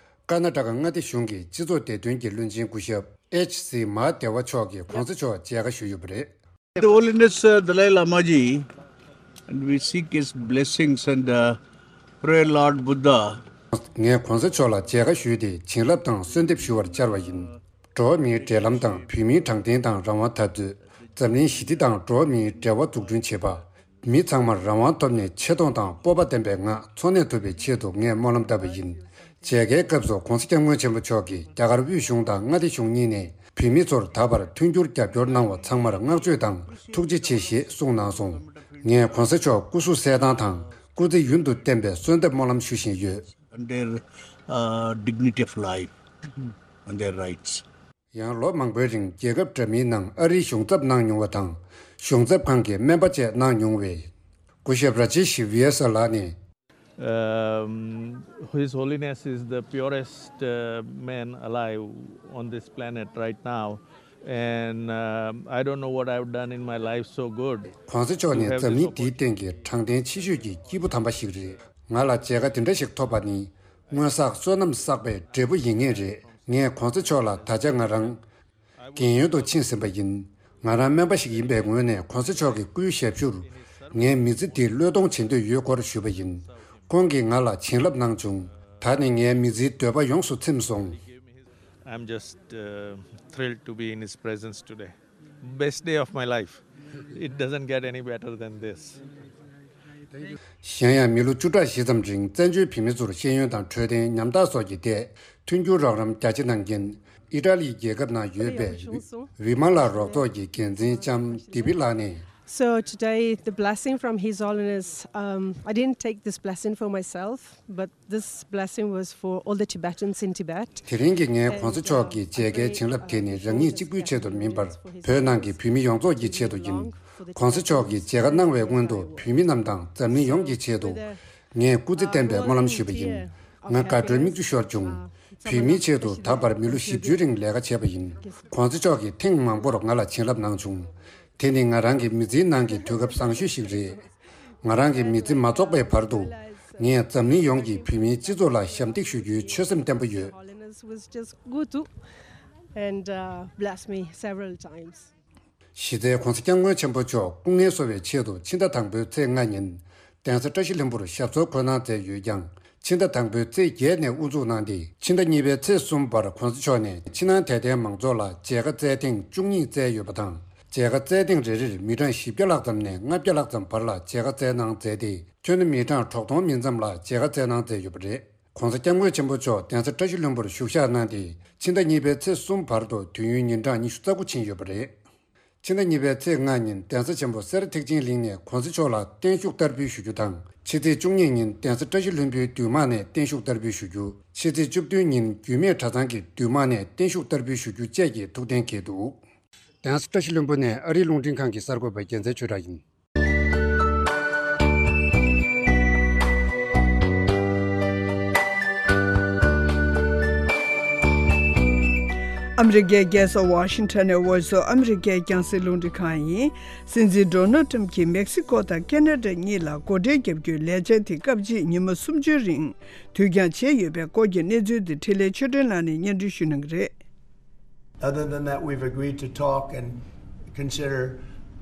ཀར་ན་ཊ་ཀ་མངའ་སྡེ་གཞུང་གི་སྤྱི་ཚོགས་བདེ་དོན་གྱི་བློན་ཆེན་སྐུ་ཞབས་ཨེཆ་སི་མ་ཧ་དེ་ཝ་མཆོག་གིས་༧གོང་ས་མཆོག་མཇལ་ཁ་ཞུས་ཡོད་པ་རེད། The Holiness uh, Dalai Lama ji, and we seek his blessings and uh, pray, Lord Buddha. ངས་༧གོང་ས་མཆོག་ལ་མཇལ་ཁ་ཞུས་ཏེ་བྱིན་རླབས་དང་གསོལ་འདེབས་ཞུ་བར་བཅར་བ་ཡིན། འགྲོ་བ་མིའི་འབྲེལ་ལམ་དང་བོད་མིའི་དྲང་བདེན་དང་རང་དབང་འཐབ་རྩོད། འཛམ་གླིང་ཞི་བདེ་དང་འགྲོ་བ་མིའི་འབྲེལ་བ་འཛུགས་སྐྲུན་བྱེད་པ། མི་ཚང་མར་རང་དབང་ཐོབ་ནས་ཆེ་མཐོང་དང་སྤོབས་པ་ལྡན་པའི་ངང་འཚོ་གནས་ཐུབ་པའི་ཆེད་དུ་ངས་སྨོན་ལམ་བཏབ་པ་ཡིན། མཇལ་ཁའི་སྐབས་སུ་༧གོང་ས་༧སྐྱབས་མགོན་ཆེན་པོ་མཆོག་གིས་རྒྱ་གར་དབུས་གཞུང་དང་མངའ་སྡེ་གཞུང་གཉིས་ནས་བོད་མི་ཚོར་ད་བར་མཐུན་འགྱུར་རྒྱབ་སྐྱོར་གནང་བ་ཚང་མར་བསྔགས་བརྗོད་དང་ཐུགས་རྗེ་ཆེ་ཞེས་གསུངས་གནང་སོང་། ངས་༧གོང་ས་མཆོག་སྐུ་གཟུགས་གསལ་ཐང་དང་སྐུ་ཚེ་ཡུན་དུ་བརྟན་པའི་གསོལ་འདེབས་སྨོན་ལམ་ཞུ་བཞིན་ཡོད། And their uh, dignity of life and their rights. ཡང་ལོ་མང་པོའི་རིང་རྒྱལ་ཁབ་འདྲ་མིན་ནང་ཨ་རིའི་གཞུང་ཚབ་གནང་མྱོང་བ་དང་། གཞུང་ཚབ་ཁང་གི་སྨན་པ་བཅས་གནང་མྱོང་བའི་སྐུ་ཞབས་ར་ཇེ་ཤི་ཝི་ཡ་ས་ལགས་ནས། Um, His Holiness is the purest uh, man alive on this planet right now, and um I don't know what I've done in my life so good. ༸གོང་ས་མཆོག་ནི་འཛམ་གླིང་འདིའི་སྟེང་གི་དྲང་བདེན་ཆེ་ཤོས་ཀྱི་སྐྱེས་བུ་དམ་པ་ཞིག་རེད། ང་ལ་མཇལ་ཁ་དེ་འདྲ་ཞིག་ཐོབ་པ་ནི་སྔོན་བསགས་བསོད་ནམས་བསགས་པའི་འབྲས་བུ་ཡིན་ངེས་རེད། ངས་༸གོང་ས་མཆོག་ལ་ད་ཆ་ང་རང་རྒན་ཡོལ་དུ་ཕྱིན་ཟིན་པ་ཡིན། ང་རང་སྨན་པ་ཞིག་ཡིན་པའི་ངོས་ནས་༸གོང་ས་མཆོག་གི་སྐུའི་ཞབས་ཞུར་ངའི་མི་ཚེ་འདི་བློས་གཏོང་བྱེད་འདོད་ཡོད་སྐོར་ཞུས་པ་ཡིན། ཁོང་གིས་ང་ལ་བྱིན་རླབས་གནང་བྱུང་། ད་ནི་ངའི་མི་ཚེའི་འདོད་པ་ཡོངས་སུ་ཚིམས་སོང་། I'm just uh, thrilled to be in his presence today. Best day of my life. It doesn't get any better than this. གཞན་ཡང་མི་ལོ་བཅུ་ཕྲག་བཞི་ཙམ་རིང་བཙན་བྱོལ་བོད་མི་ཚོར་ཤེས་ཡོན་དང་འཕྲོད་བསྟེན་ཉམ་ཐག་སོགས་ཀྱི་ཐད་མཐུན་འགྱུར་རོགས་རམ་རྒྱ་ཆེ་གནང་མཁན་ཨི་ཊ་ལིའི་རྒྱལ་ཁབ་ནང་ཡོད་པའི་ཝི་མ་ལ་རོགས་ཚོགས་ཀྱི་འགན་འཛིན་ལྕམ་དི་བི་ལགས་ནས། So today, the blessing from His Holiness, um, I didn't take this blessing for myself, but this blessing was for all the Tibetans in Tibet. དེ་རིང་གི་ངའི་༸གོང་ས་མཆོག་གི་མཇལ་ཁའི་བྱིན་རླབས་དེ་ནི་རང་ཉིད་གཅིག་པུའི་ཆེད་དུ་མིན་པར་བོད་ནང་གི་བོད་མི་ཡོངས་རྫོགས་ཀྱི་ཆེད་དུ་ཡིན། ༸གོང་ས་མཆོག་གིས་མཇལ་ཁ་གནང་བའི་སྔོན་དུ་བོད་མི་རྣམས་དང་འཛམ་གླིང་ཡོངས་ཀྱི་ཆེད་དུ་ངས་སྐུ་ཚེ་བརྟན་པའི་སྨོན་ལམ་ཞུས་པ་ཡིན། ང་དགའ་སྤྲོའི་མིག་ཆུ་ཤོར་བྱུང་། བོད་མིའི་ཆེད་དུ་ད་བར་མི་ལོ་བཞི་བཅུའི་རིང་ལས་ཀ་བྱས་པ་ཡིན། ༸གོང་ས་མཆོག་གིས་ཐེངས་མང་པོར་ང་ལ་བྱིན་རླབས་གནང་བྱུང་། དེ་ནི་ང་རང་གི་མི་ཚེའི་ནང་གི་དུས་སྐབས་བཟང་ཤོས་ཤིག་རེད། ང་རང་གི་མི་ཚེ་མ་རྫོགས་པའི་བར་དུ། ངས་འཛམ་གླིང་ཡོངས་ཀྱི་བོད་མིའི་སྤྱི་ཚོགས་ལ་ཞབས་འདེགས་ཞུ་རྒྱུའི་ཆོད་སེམས་བརྟན་པོ་ཡོད། Holiness was just go to and uh, bless me several times. གཞི་རྩའི་༸གོང་ས་༸སྐྱབས་མགོན་ཆེན་པོ་མཆོག་སྐུ་ངལ་གསོ་བའི་ཆེད་དུ་ཕྱི་ཟླ་དང་པོའི་ཚེས་ལྔ་ཉིན་གདན་ས་བཀྲ་ཤིས་ལྷུན་པོར་ཞབས་སོར་འཁོད་གནང་མཛད་ཡོད་ཀྱང་། ཕྱི་ཟླ་དང་པོའི་ཚེས་བརྒྱད་ནས་དབུ་འཛུགས་གནང་སྟེ། ཕྱི་ཟླ་གཉིས་པའི་ཚེས་གསུམ་བར་༸གོང་ས་མཆོག་ནས་ཕྱི་ནང་དད་ལྡན་མང་ཚོགས་ལ་མཇལ་ཁ་བསྩལ་ཐེངས་བཅུ་གཉིས་བསྩལ་ཡོད་པ་དང་། མཇལ་ཁ་བསྩལ་ཐེངས་རེ་རེར་མི་གྲངས་བཞི་བརྒྱ་ལྷག་ཙམ་ནས་ལྔ་བརྒྱ་ལྷག་ཙམ་བར་ལ་མཇལ་ཁ་བསྩལ་གནང་མཛད་དེ། ཁྱོན་ནས་མི་གྲངས་དྲུག་སྟོང་མིན་ཙམ་ལ་མཇལ་ཁ་བསྩལ་གནང་མཛད་ཡོད་པ་རེད། ༸གོང་ས་༸སྐྱབས་མགོན་ཆེན་པོ་མཆོག་གདན་ས་བཀྲ་ཤིས་ལྷུན་པོར་བཞུགས་ཞག་གནང་སྟེ། ཕྱི་ཟླ་གཉིས་པའི་ཚེས་གསུམ་བར་དུ་དུས་ཡུན་ཉིན་གྲངས་ཉི་ཤུ་རྩ་དགུ་ཕྱིན་ཡོད་པ་རེད། ཕྱི་ཟླ་གཉིས་པའི་ཚེས་ལྔ་ཉིན་གདན་ས་ཆེན་པོ་སེ་ར་ཐེག་ཆེན་གླིང་ནས་༸གོང་ས་མཆོག་ལ་བརྟན་བཞུགས་བསྟར་འབུལ་ཞུ་རྒྱུ་དང་། ཕྱི་ཚེས་བཅུ་གཉིས་ཉིན་གདན་ས་བཀྲ་ཤིས་ལྷུན་པོའི་འདུས་དམངས་ནས་བརྟན་བཞུགས་བསྟར་འབུལ་ཞུ་རྒྱུ། ཕྱི་ཚེས་བཅུ་བདུན་ཉིན་རྒྱུད་སྨད་གྲྭ་ཚང་གི་འདུས་དམངས་ནས་བརྟན་བཞུགས་བསྟར་འབུལ་ཞུ་རྒྱུ་བཅས་ཀྱི་ཐུགས་གཏན་འཁེལ་འདུག་གདན་ས་བཀྲ་ཤིས་ལྷུན་པོ་ནས་ཨ་རིའི་རླུང་འཕྲིན་ཁང་གི་གསར་འགོད་པ་རྒྱལ་མཚན་ཆོས་གྲགས་ཡིན། ཨ་མི་རི་ཀའི་རྒྱལ་ས་ཝ་ཤིང་ཊོན་ནས་Voice of America རྒྱང་སྲིང་རླུང་འཕྲིན་ཁང་ཡིན། སྲིད་འཛིན་ཌོ་ནལ་ཊམ་གྱིས་མེག་སི་ཀོ་དང་ཁེ་ན་ཌ་གཉིས་ལ་སྒོ་ཁྲལ་བརྒྱབ་རྒྱུའི་ལས་འཆར་དེ་སྐབས་གཅིག་ཉིན་མོ་སུམ་ཅུའི་རིང་དུས་འགྱངས་བྱས་ཡོད་པའི་སྐོར་གྱི་གནས་ཚུལ་དེ་འཕྲིན་ལས་ཆོས་སྒྲོན་ལགས་ནས་སྙན་སྒྲོན་ཞུ་གནང་གི་རེད། Other than that, we've agreed to talk and consider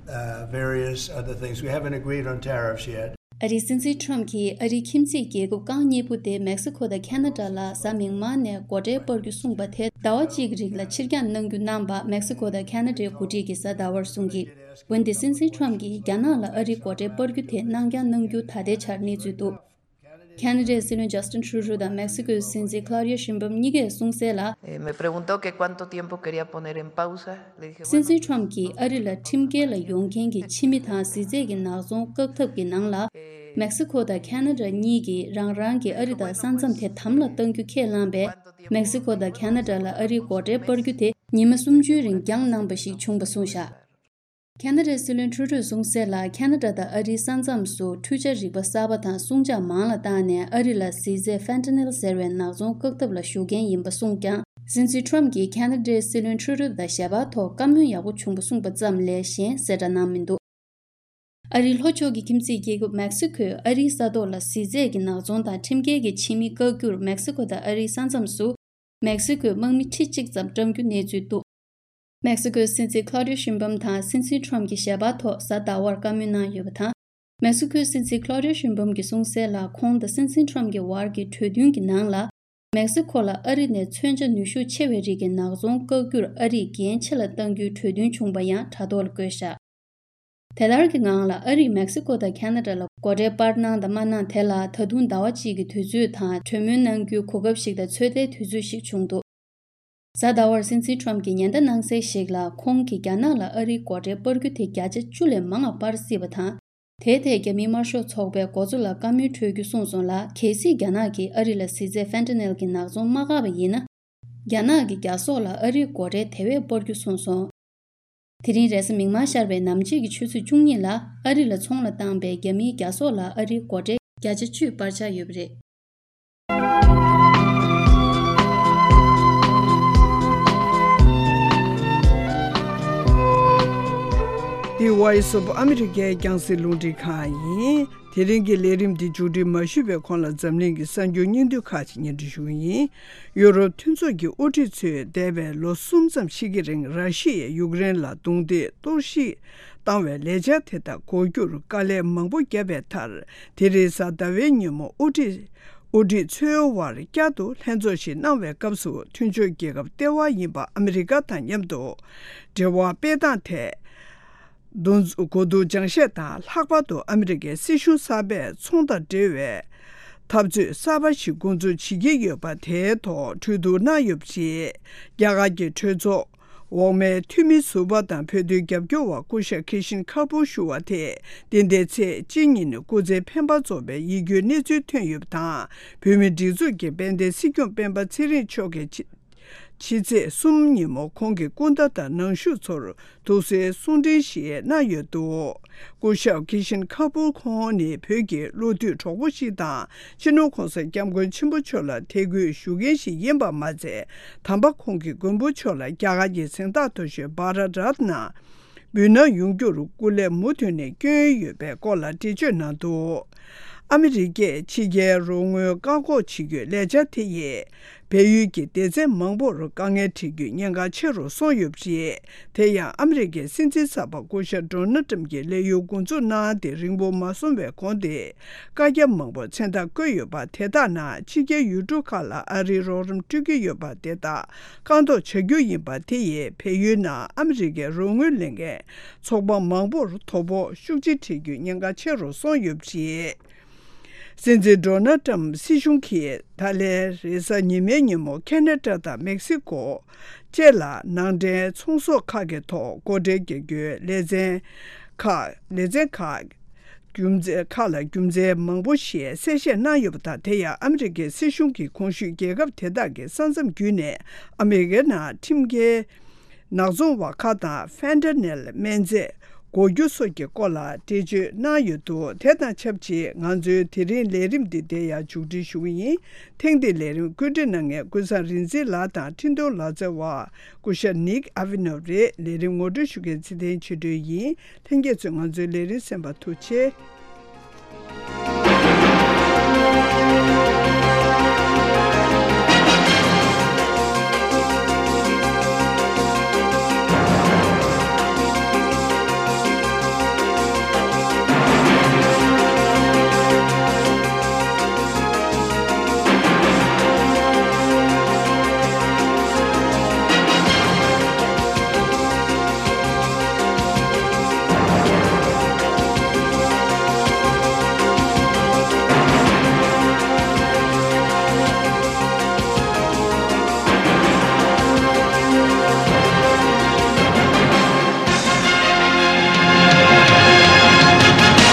uh, various other things. We haven't agreed on tariffs yet. ཨ་རིའི་སྲིད་འཛིན་ཁྲོམ་གྱིས་ཨ་རིའི་ཁྱིམ་མཚེས་རྒྱལ་ཁབ་རྐང་གཉིས་པོ་སྟེ་མེག་སི་ཁོ་དང་ཁེ་ན་ཌ་ལ་གཟའ་མིག་དམར་ནས་སྒོ་ཁྲལ་སྤར་རྒྱུ་གསུངས་པ་དེ་ཟླ་བ་གཅིག་རིང་ལ་ཕྱིར་འགྱངས་གནང་རྒྱུ་གནང་པ་མེག་སི་ཁོ་དང་ཁེ་ན་ཌའི་འགོ་ཁྲིད་ཀྱིས་གཟའ་ཟླ་བར་གསུངས་ཀྱིས། འོན་ཏེ་སྲིད་འཛིན་ཁྲོམ་གྱིས་རྒྱ་ནག་ལ་ཨ་རིའི་སྒོ་ཁྲལ་སྤར་རྒྱུ་དེ་གནང་འགྱངས་གནང་རྒྱུ་ད་ལྟའི་ཆར་གནས་ཚུལ་འདུག་ཁེ་ན་ཌའི་སྲིད་བློན་ཇ་སི་ཊིན་ཊུ་རུ་དང་མེག་སི་ཀོའི་སྲིད་འཛིན་ཁ་ལ་ཡོ་ཤིན་བྷམ་གཉིས་ཀས་གསུངས་གསལ་ལ། Eh, me preguntó que cuánto tiempo quería poner en pausa. Le dije, སྲིད་འཛིན་ཁྲོམ་གྱིས་ཨ་རི་ལ་ཁྲིམས་འགལ་ལ་ཡོང་མཁན་གྱི་ཕྱི་མི་དང་གཟི་རྫས་ཀྱི་ནག་ཚོང་བཀག་ཐབས་ཀྱི་ནང་ལ། Eh, མེག་སི་ཁོ་དང་ཁ་ན་ཌ་གཉིས་ཀྱིས་རང་རང་གི་ཨ་རི་དང་ས་མཚམས་དེ་དམ་ལ་གཏང་རྒྱུ་ཁས་བླངས་པས། མེག་སི་ཁོ་དང་ཁ་ན་ཌ་ལ་ཨ་རིའི་སྒོ་ཁྲལ་སྤར་རྒྱུ་དེ་ཉི་མ་སུམ་ཅུའི་རིང་འགྱངས་གནང་བ་ཞིག་བྱུང་བ་གསུངས་བཞག་ཁ་ན་ཌའི་སྲིད་བློན་ཁྲུ་ཌོས་གསུངས་གསལ་ལ། ཁ་ན་ཌ་དང་ཨ་རིའི་ས་མཚམས་སུ་འཕྲུལ་ཆས་རིག་པ་གསར་པ་དང་སྲུང་ཆ་མང་ལ་བཏང་ནས་ཨ་རི་ལ་ཟི་རྫས་ཕན་ཏ་ནིལ་ཟེར་བའི་ནག་ཚོང་བཀག་ཐབས་ལ་ཞུགས་མཁན་ཡིན་པ་གསུངས་ཀྱང་། སྲིད་འཛིན་ཁྲོམ་གྱིས་ཁ་ན་ཌའི་སྲིད་བློན་ཁྲུ་ཌོ་དང་ཞལ་པར་ཐོག་བཀའ་མོལ་ཡག་པོ་བྱུང་བ་གསུངས་པ་ཙམ་ལས་གཞན་གསལ་བསྒྲགས་གནང་མི་འདུག་ཨ་རིའི་ལྷོ་ཕྱོགས་ཀྱི་ཁྱིམ་མཚེས་རྒྱལ་ཁབ་མེག་སི་ཁོས་ཨ་རིའི་ས་ཐོག་ལ་ཟི་རྫས་ཀྱི་ནག་ཚོང་དང་ཁྲིམས་འགལ་གྱི་ཕྱི་མི་བཀག་རྒྱུར་མེག་སི་ཁོ་དང་ཨ་རིའི་ས་མཚམས་སུ་མེག་སི་ཁོས་དམག་མི་ཁྲི་གཅིག་ཙམ་བཀྲམ་རྒྱུ་གནས་ཚུལ་འདུག་མེག་སི་ཁོའི་སྲིད་འཛིན་ཁློ་ཌིའོ་ཤིན་བྷམ་དང་སྲིད་འཛིན་ཁྲོམ་གྱི་ཞལ་པར་ཐོག་གཟའ་ཟླ་བར་བཀའ་མོལ་གནང་ཡོད་པ་དང་། མེག་སི་ཁོའི་སྲིད་འཛིན་ཁློ་ཌིའོ་ཤིན་བྷམ་གྱིས་གསུངས་གསལ་ལ། ཁོང་དང་སྲིད་འཛིན་ཁྲོམ་གྱི་བར་གྱི་གྲོས་མཐུན་གྱི་ནང་ལ། མེག་སི་ཁོ་ལ་ཨ་རི་ནས་མཚོན་ཆ་ནུས་ཤུགས་ཆེ་བའི་རིགས་ཀྱི་ནག་ཚོང་བཀག་རྒྱུར་ཨ་རིས་འགན་ཆེ་ལ་གཏང་རྒྱུའི་གྲོས་མཐུན་བྱུང་བ་ཡང་དྲ་ཐོག་ལ་བཀོད་བཞག་དེ་ལྟར་གྱི་ངང་ལ་ཨ་རིས་མེག་སི་ཁོ་དང་ཁ་ན་ཌ་ལ་སྒོ་ཁྲལ་སྤར་གནང་དང་མ་གནང་དེ་ལ་ད་དུང་ཟླ་བ་གཅིག་གི་དུས་ཚོད་དང་གྲོས་མོལ་གནང་རྒྱུའི་གོ་སྐབས་ཤིག་དང་ཚོད་ལྟའི་དུས་ཚོད་ཞིག་བྱུང་འདུག་གཟའ་ཟླ་བར་སྲིད་འཛིན་ཁྲོམ་གྱིས་ཉེན་བརྡ་གནང་གསལ་ཞིག་ལ། ཁོང་གིས་རྒྱ་ནག་ལ་ཨ་རིའི་སྒོ་ཁྲལ་སྤར་རྒྱུ་དེ་བརྒྱ་ཆ་བཅུ་ལས་མང་བ་སྤར་སྲིད་པ་དང་། དེའི་ཐད་རྒྱ་མིའི་དམར་ཤོག་ཚོགས་པས་འགོ་གཙོ་ལ་བཀའ་མོལ་འཕྲོད་རྒྱུ་གསུངས་སོང་ལ། གལ་སྲིད་རྒྱ་ནག་གིས་ཨ་རི་ལ་ཟི་རྫས་ཕན་ཏ་ནེལ་གྱི་ནག་ཚོང་མ་བཀག་པ་ཡིན་ན། རྒྱ་ནག་གི་རྒྱ་སོག་ལ་ཨ་རིའི་སྒོ་ཁྲལ་དེ་བས་སྤར་རྒྱུ་གསུངས་སོང་། དེ་རིང་རེས་གཟའ་མིག་དམར་ཤར་བའི་ནམ་ཕྱེད་ཀྱི་ཆུ་ཚོད་བཅུ་གཉིས་ལ་ཨ་རི་ལ་ཚོང་ལ་བཏང་པའི་རྒྱ་མིའི་རྒྱ་སོག་ལ་ཨ་རིའི་སྒོ་ཁྲལ་བརྒྱ་ཆ་བཅུ་སྤར་འཆར་ཡོད་པ་རེད། འདི་Voice of America་རྒྱང་སྲིང་རླུང་འཕྲིན་ཁང་ཡིན། དེ་རིང་གི་ལས་རིམ་འདི་མཇུག་སྒྲིལ་མ་ཞུས་པའི་གོང་ལ་འཛམ་གླིང་གི་གསར་འགྱུར་སྙིང་བསྡུས་ཁག་ཅིག་སྙན་སྒྲོན་ཞུ་གི་ཡིན། ཡུ་རོབ་མཐུན་ཚོགས་ཀྱི་དབུ་ཁྲིད་ཚོས་འདས་པའི་ལོ་གསུམ་ཙམ་ཞིག་གི་རིང་ར་ཤི་ཡས་ཡུཀ་རེན་ལ་རྡུང་རྡེག་གཏོར་བཤིག་བཏང་བའི་ལས་འཆར་དེ་དག་འགོག་རྒྱུར་དཀའ་ལས་མང་པོ་བརྒྱབ་པའི་མཐར། དེ་རིང་གཟའ་ཟླ་བའི་ཉིན་མོ་དབུ་ཁྲིད་དབུ་ཁྲིད་ཚོའི་དབར་བསྐྱར་དུ་ལྷན་ཚོགས་ཤིག་གནང་བའི་སྐབས་སུ། མཐུན་ཕྱོགས་རྒྱལ་ཁབ་ལྟེ་བ་ཡིན་པ་ཨ་མི་རི་ཀ་དང་མཉམ་དུ་འབྲེལ་བ་སྤེལ་སྟངས་ཐད། འདུ་འཛོམས་གོ་བསྡུར་སྦྱང་བཤད་དང་། ལྷག་པར་དུ་ཨ་མི་རི་ཀའི་སྲིད་གཞུང་གསར་པས་ཚོང་དང་འབྲེལ་བའི་འཐབ་རྩོད་གསར་པ་ཞིག་འགོ་འཛུགས་བྱེད་ཀྱི་ཡོད་པ་དེའི་ཐོག་གྲོས་བསྡུར་གནང་ཡོད་པ་རེད། རྒྱ་གར་གྱི་གྲོས་ཚོགས་འོག་མའི་འཐུས་མི་ཟུར་པ་དང་བོད་དོན་རྒྱབ་སྐྱོར་བ་སྐུ་ཞབས་ཁི་ཤིན་ཁ་པུར་ཞུ་བ་དེས། འདི་ཟླའི་ཚེས་གཅིག་ཉིན་སྐུ་ཚེ་འཕེན་པ་རྫོགས་པའི་ཡིད་སྐྱོའི་གནས་ཚུལ་ཐོན་ཡོད་པ་དང་། བོད་མིའི་སྒྲིག་འཛུགས་ཀྱི་དཔལ་ལྡན་སྲིད་སྐྱོང་སྤེན་པ་ཚེ་རིང་མཆོག་གིས་ཕྱི་ཕྱི་ཚེས་གསུམ་ཉིན་མོ་ཁོང་གི་སྐུ་ཟླ་དང་ནང་ཞུགས་ཚོར་ཐུགས་གསོའི་གསུང་འཕྲིན་ཞིག་གནང་ཡོད་འདུག་སྐུ་ཞབས་ཁི་ཤིན་ཁ་པུར་ཁོང་ནི་བོད་ཀྱི་བློ་མཐུན་གྲོགས་པོ་ཞིག་དང་། སྤྱི་ནོར་༸གོང་ས་༸སྐྱབས་མགོན་ཆེན་པོ་མཆོག་ལ་དད་གུས་ཞུ་མཁན་ཞིག་ཡིན་པ་མ་ཚད། དམ་པ་ཁོང་གི་མགོན་པོ་མཆོག་ལ་རྒྱ་གར་གྱི་གཟེངས་རྟགས་མཐོ་ཤོས་བྷ་ར་ཏ་རཏ་ན་འབུལ་གནང་ཡོང་རྒྱུར་སྐུ་ལས་མུ་མཐུད་ནས་བསྐྱོན་ཡོད་པའི་སྐོར་ལ་འགྲེལ་བརྗོད་གནང་འདུག་ཨ་མི་རི་ཀས་ཕྱི་རྒྱལ་རོགས་དངུལ་བཀག་འགོག་བྱེད་རྒྱུའི་ལས་འཆར་དེ་ཡིས། བལ་ཡུལ་གྱི་སྡེ་ཚན་མང་པོར་དཀའ་ངལ་འཕྲད་རྒྱུའི་ཉེན་ཁ་ཆེ་རུ་སོང་ཡོད་པ་རེད། དེ་ཡང་ཨ་མི་རི་ཀའི་སྲིད་འཛིན་གསར་པ་སྐུ་ཞབས་ཌོ་ནལ་ཏྲམ་གྱིས་ལས་ཡུན་འགོ་འཛུགས་གནང་སྟེ་རིང་པོ་མ་སོང་བའི་གོང་དེ། བཀའ་རྒྱ་མང་པོ་མཚན་རྟགས་བཀོད་ཡོད་པ་དེ་དག་ནང་ཕྱི་རྒྱལ་ཡུལ་གྲུ་ཁག་ལ་ཨ་རིའི་རོགས་རམ་སྤྲོད་ཀྱི་ཡོད་པ་དེ་དག་བཀག་འགོག་བྱ་རྒྱུ་ཡིན་པ་དེ་ཡིས་བལ་ཡུལ་ནང་ཨ་མི་རི་ཀའི་རོགས་དངུལ་ལེན་མཁན་ཚོགས་པ་མང་པོར་དོ་ཕོག་ཤུགས་ཆེ་འཕྲད་རྒྱུའི་ཉེན་ཁ་ཆེ་རུ་སོང་ཡོད་པ་རེད། སྲིད་འཛིན་ཌོ་ནལ་ཏྲམ་སྲིད་གཞུང་གིས་ད་ལན་རེས་གཟའ་ཉི་མའི་ཉིན་མོ་ཁེ་ན་ཌ་དང་མེག་སི་ཀོ་བཅས་ལ་ནང་འདྲེན་ཚོང་ཟོག་ཁག་གི་ཐོག་སྒོ་ཁྲལ་རྒྱག་རྒྱུའི་ལེ་ཚན་ཁག་ལེ་ཚན་ཁག་རྒྱུ་མཚན་ཁག་ལ་རྒྱུ་མཚན་མང་པོ་ཞིག་གསལ་བཤད་གནང་ཡོད་པ་དང་། དེ་ཡང་ཨ་མི་རི་ཀའི་སྲིད་གཞུང་གིས་གོང་ཞུས་རྒྱལ་ཁབ་དེ་དག་གི་ས་མཚམས་བརྒྱུད་ནས་ཨ་མི་རི་ཀའི་ནང་ཁྲིམས་འགལ་ནག་ཚོང་བ་ཁག་དང་ཕན་ཏ་ནེལ་སྨན་རྫས་འགོག་རྒྱུ་སོགས་ཀྱི་སྐོར་ལ་འགྲེལ་བརྗོད་གནང་ཡོད་འདུག་དེ་དང་ཆབས་ཅིག་ང་ཚོའི་དེ་རིང་ལས་རིམ་འདི་འདིར་ཡང་མཇུག་སྒྲིལ་ཞུ་གི་ཡིན། ཐེངས་འདིའི་ལས་རིམ་བཀོད་སྒྲིག་གནང་མཁན་ཀུན་བཟང་རིག་འཛིན་ལགས་དང་འཕྲིན་གཏོང་ལག་རྩལ་བ་སྐུ་ཞབས་ནིག་ཨ་ཝི་ནོབ་རེད། ལས་རིམ་ངོ་སྤྲོད་ཞུ་མཁན་ཚེ་བརྟན་ཆོས་སྒྲོན་ཡིན། ལྷན་རྒྱས་ཚོས་ང་ཚོའི་ལས་རིམ་གསན་པར་ཐུགས་རྗེ་ཆེ།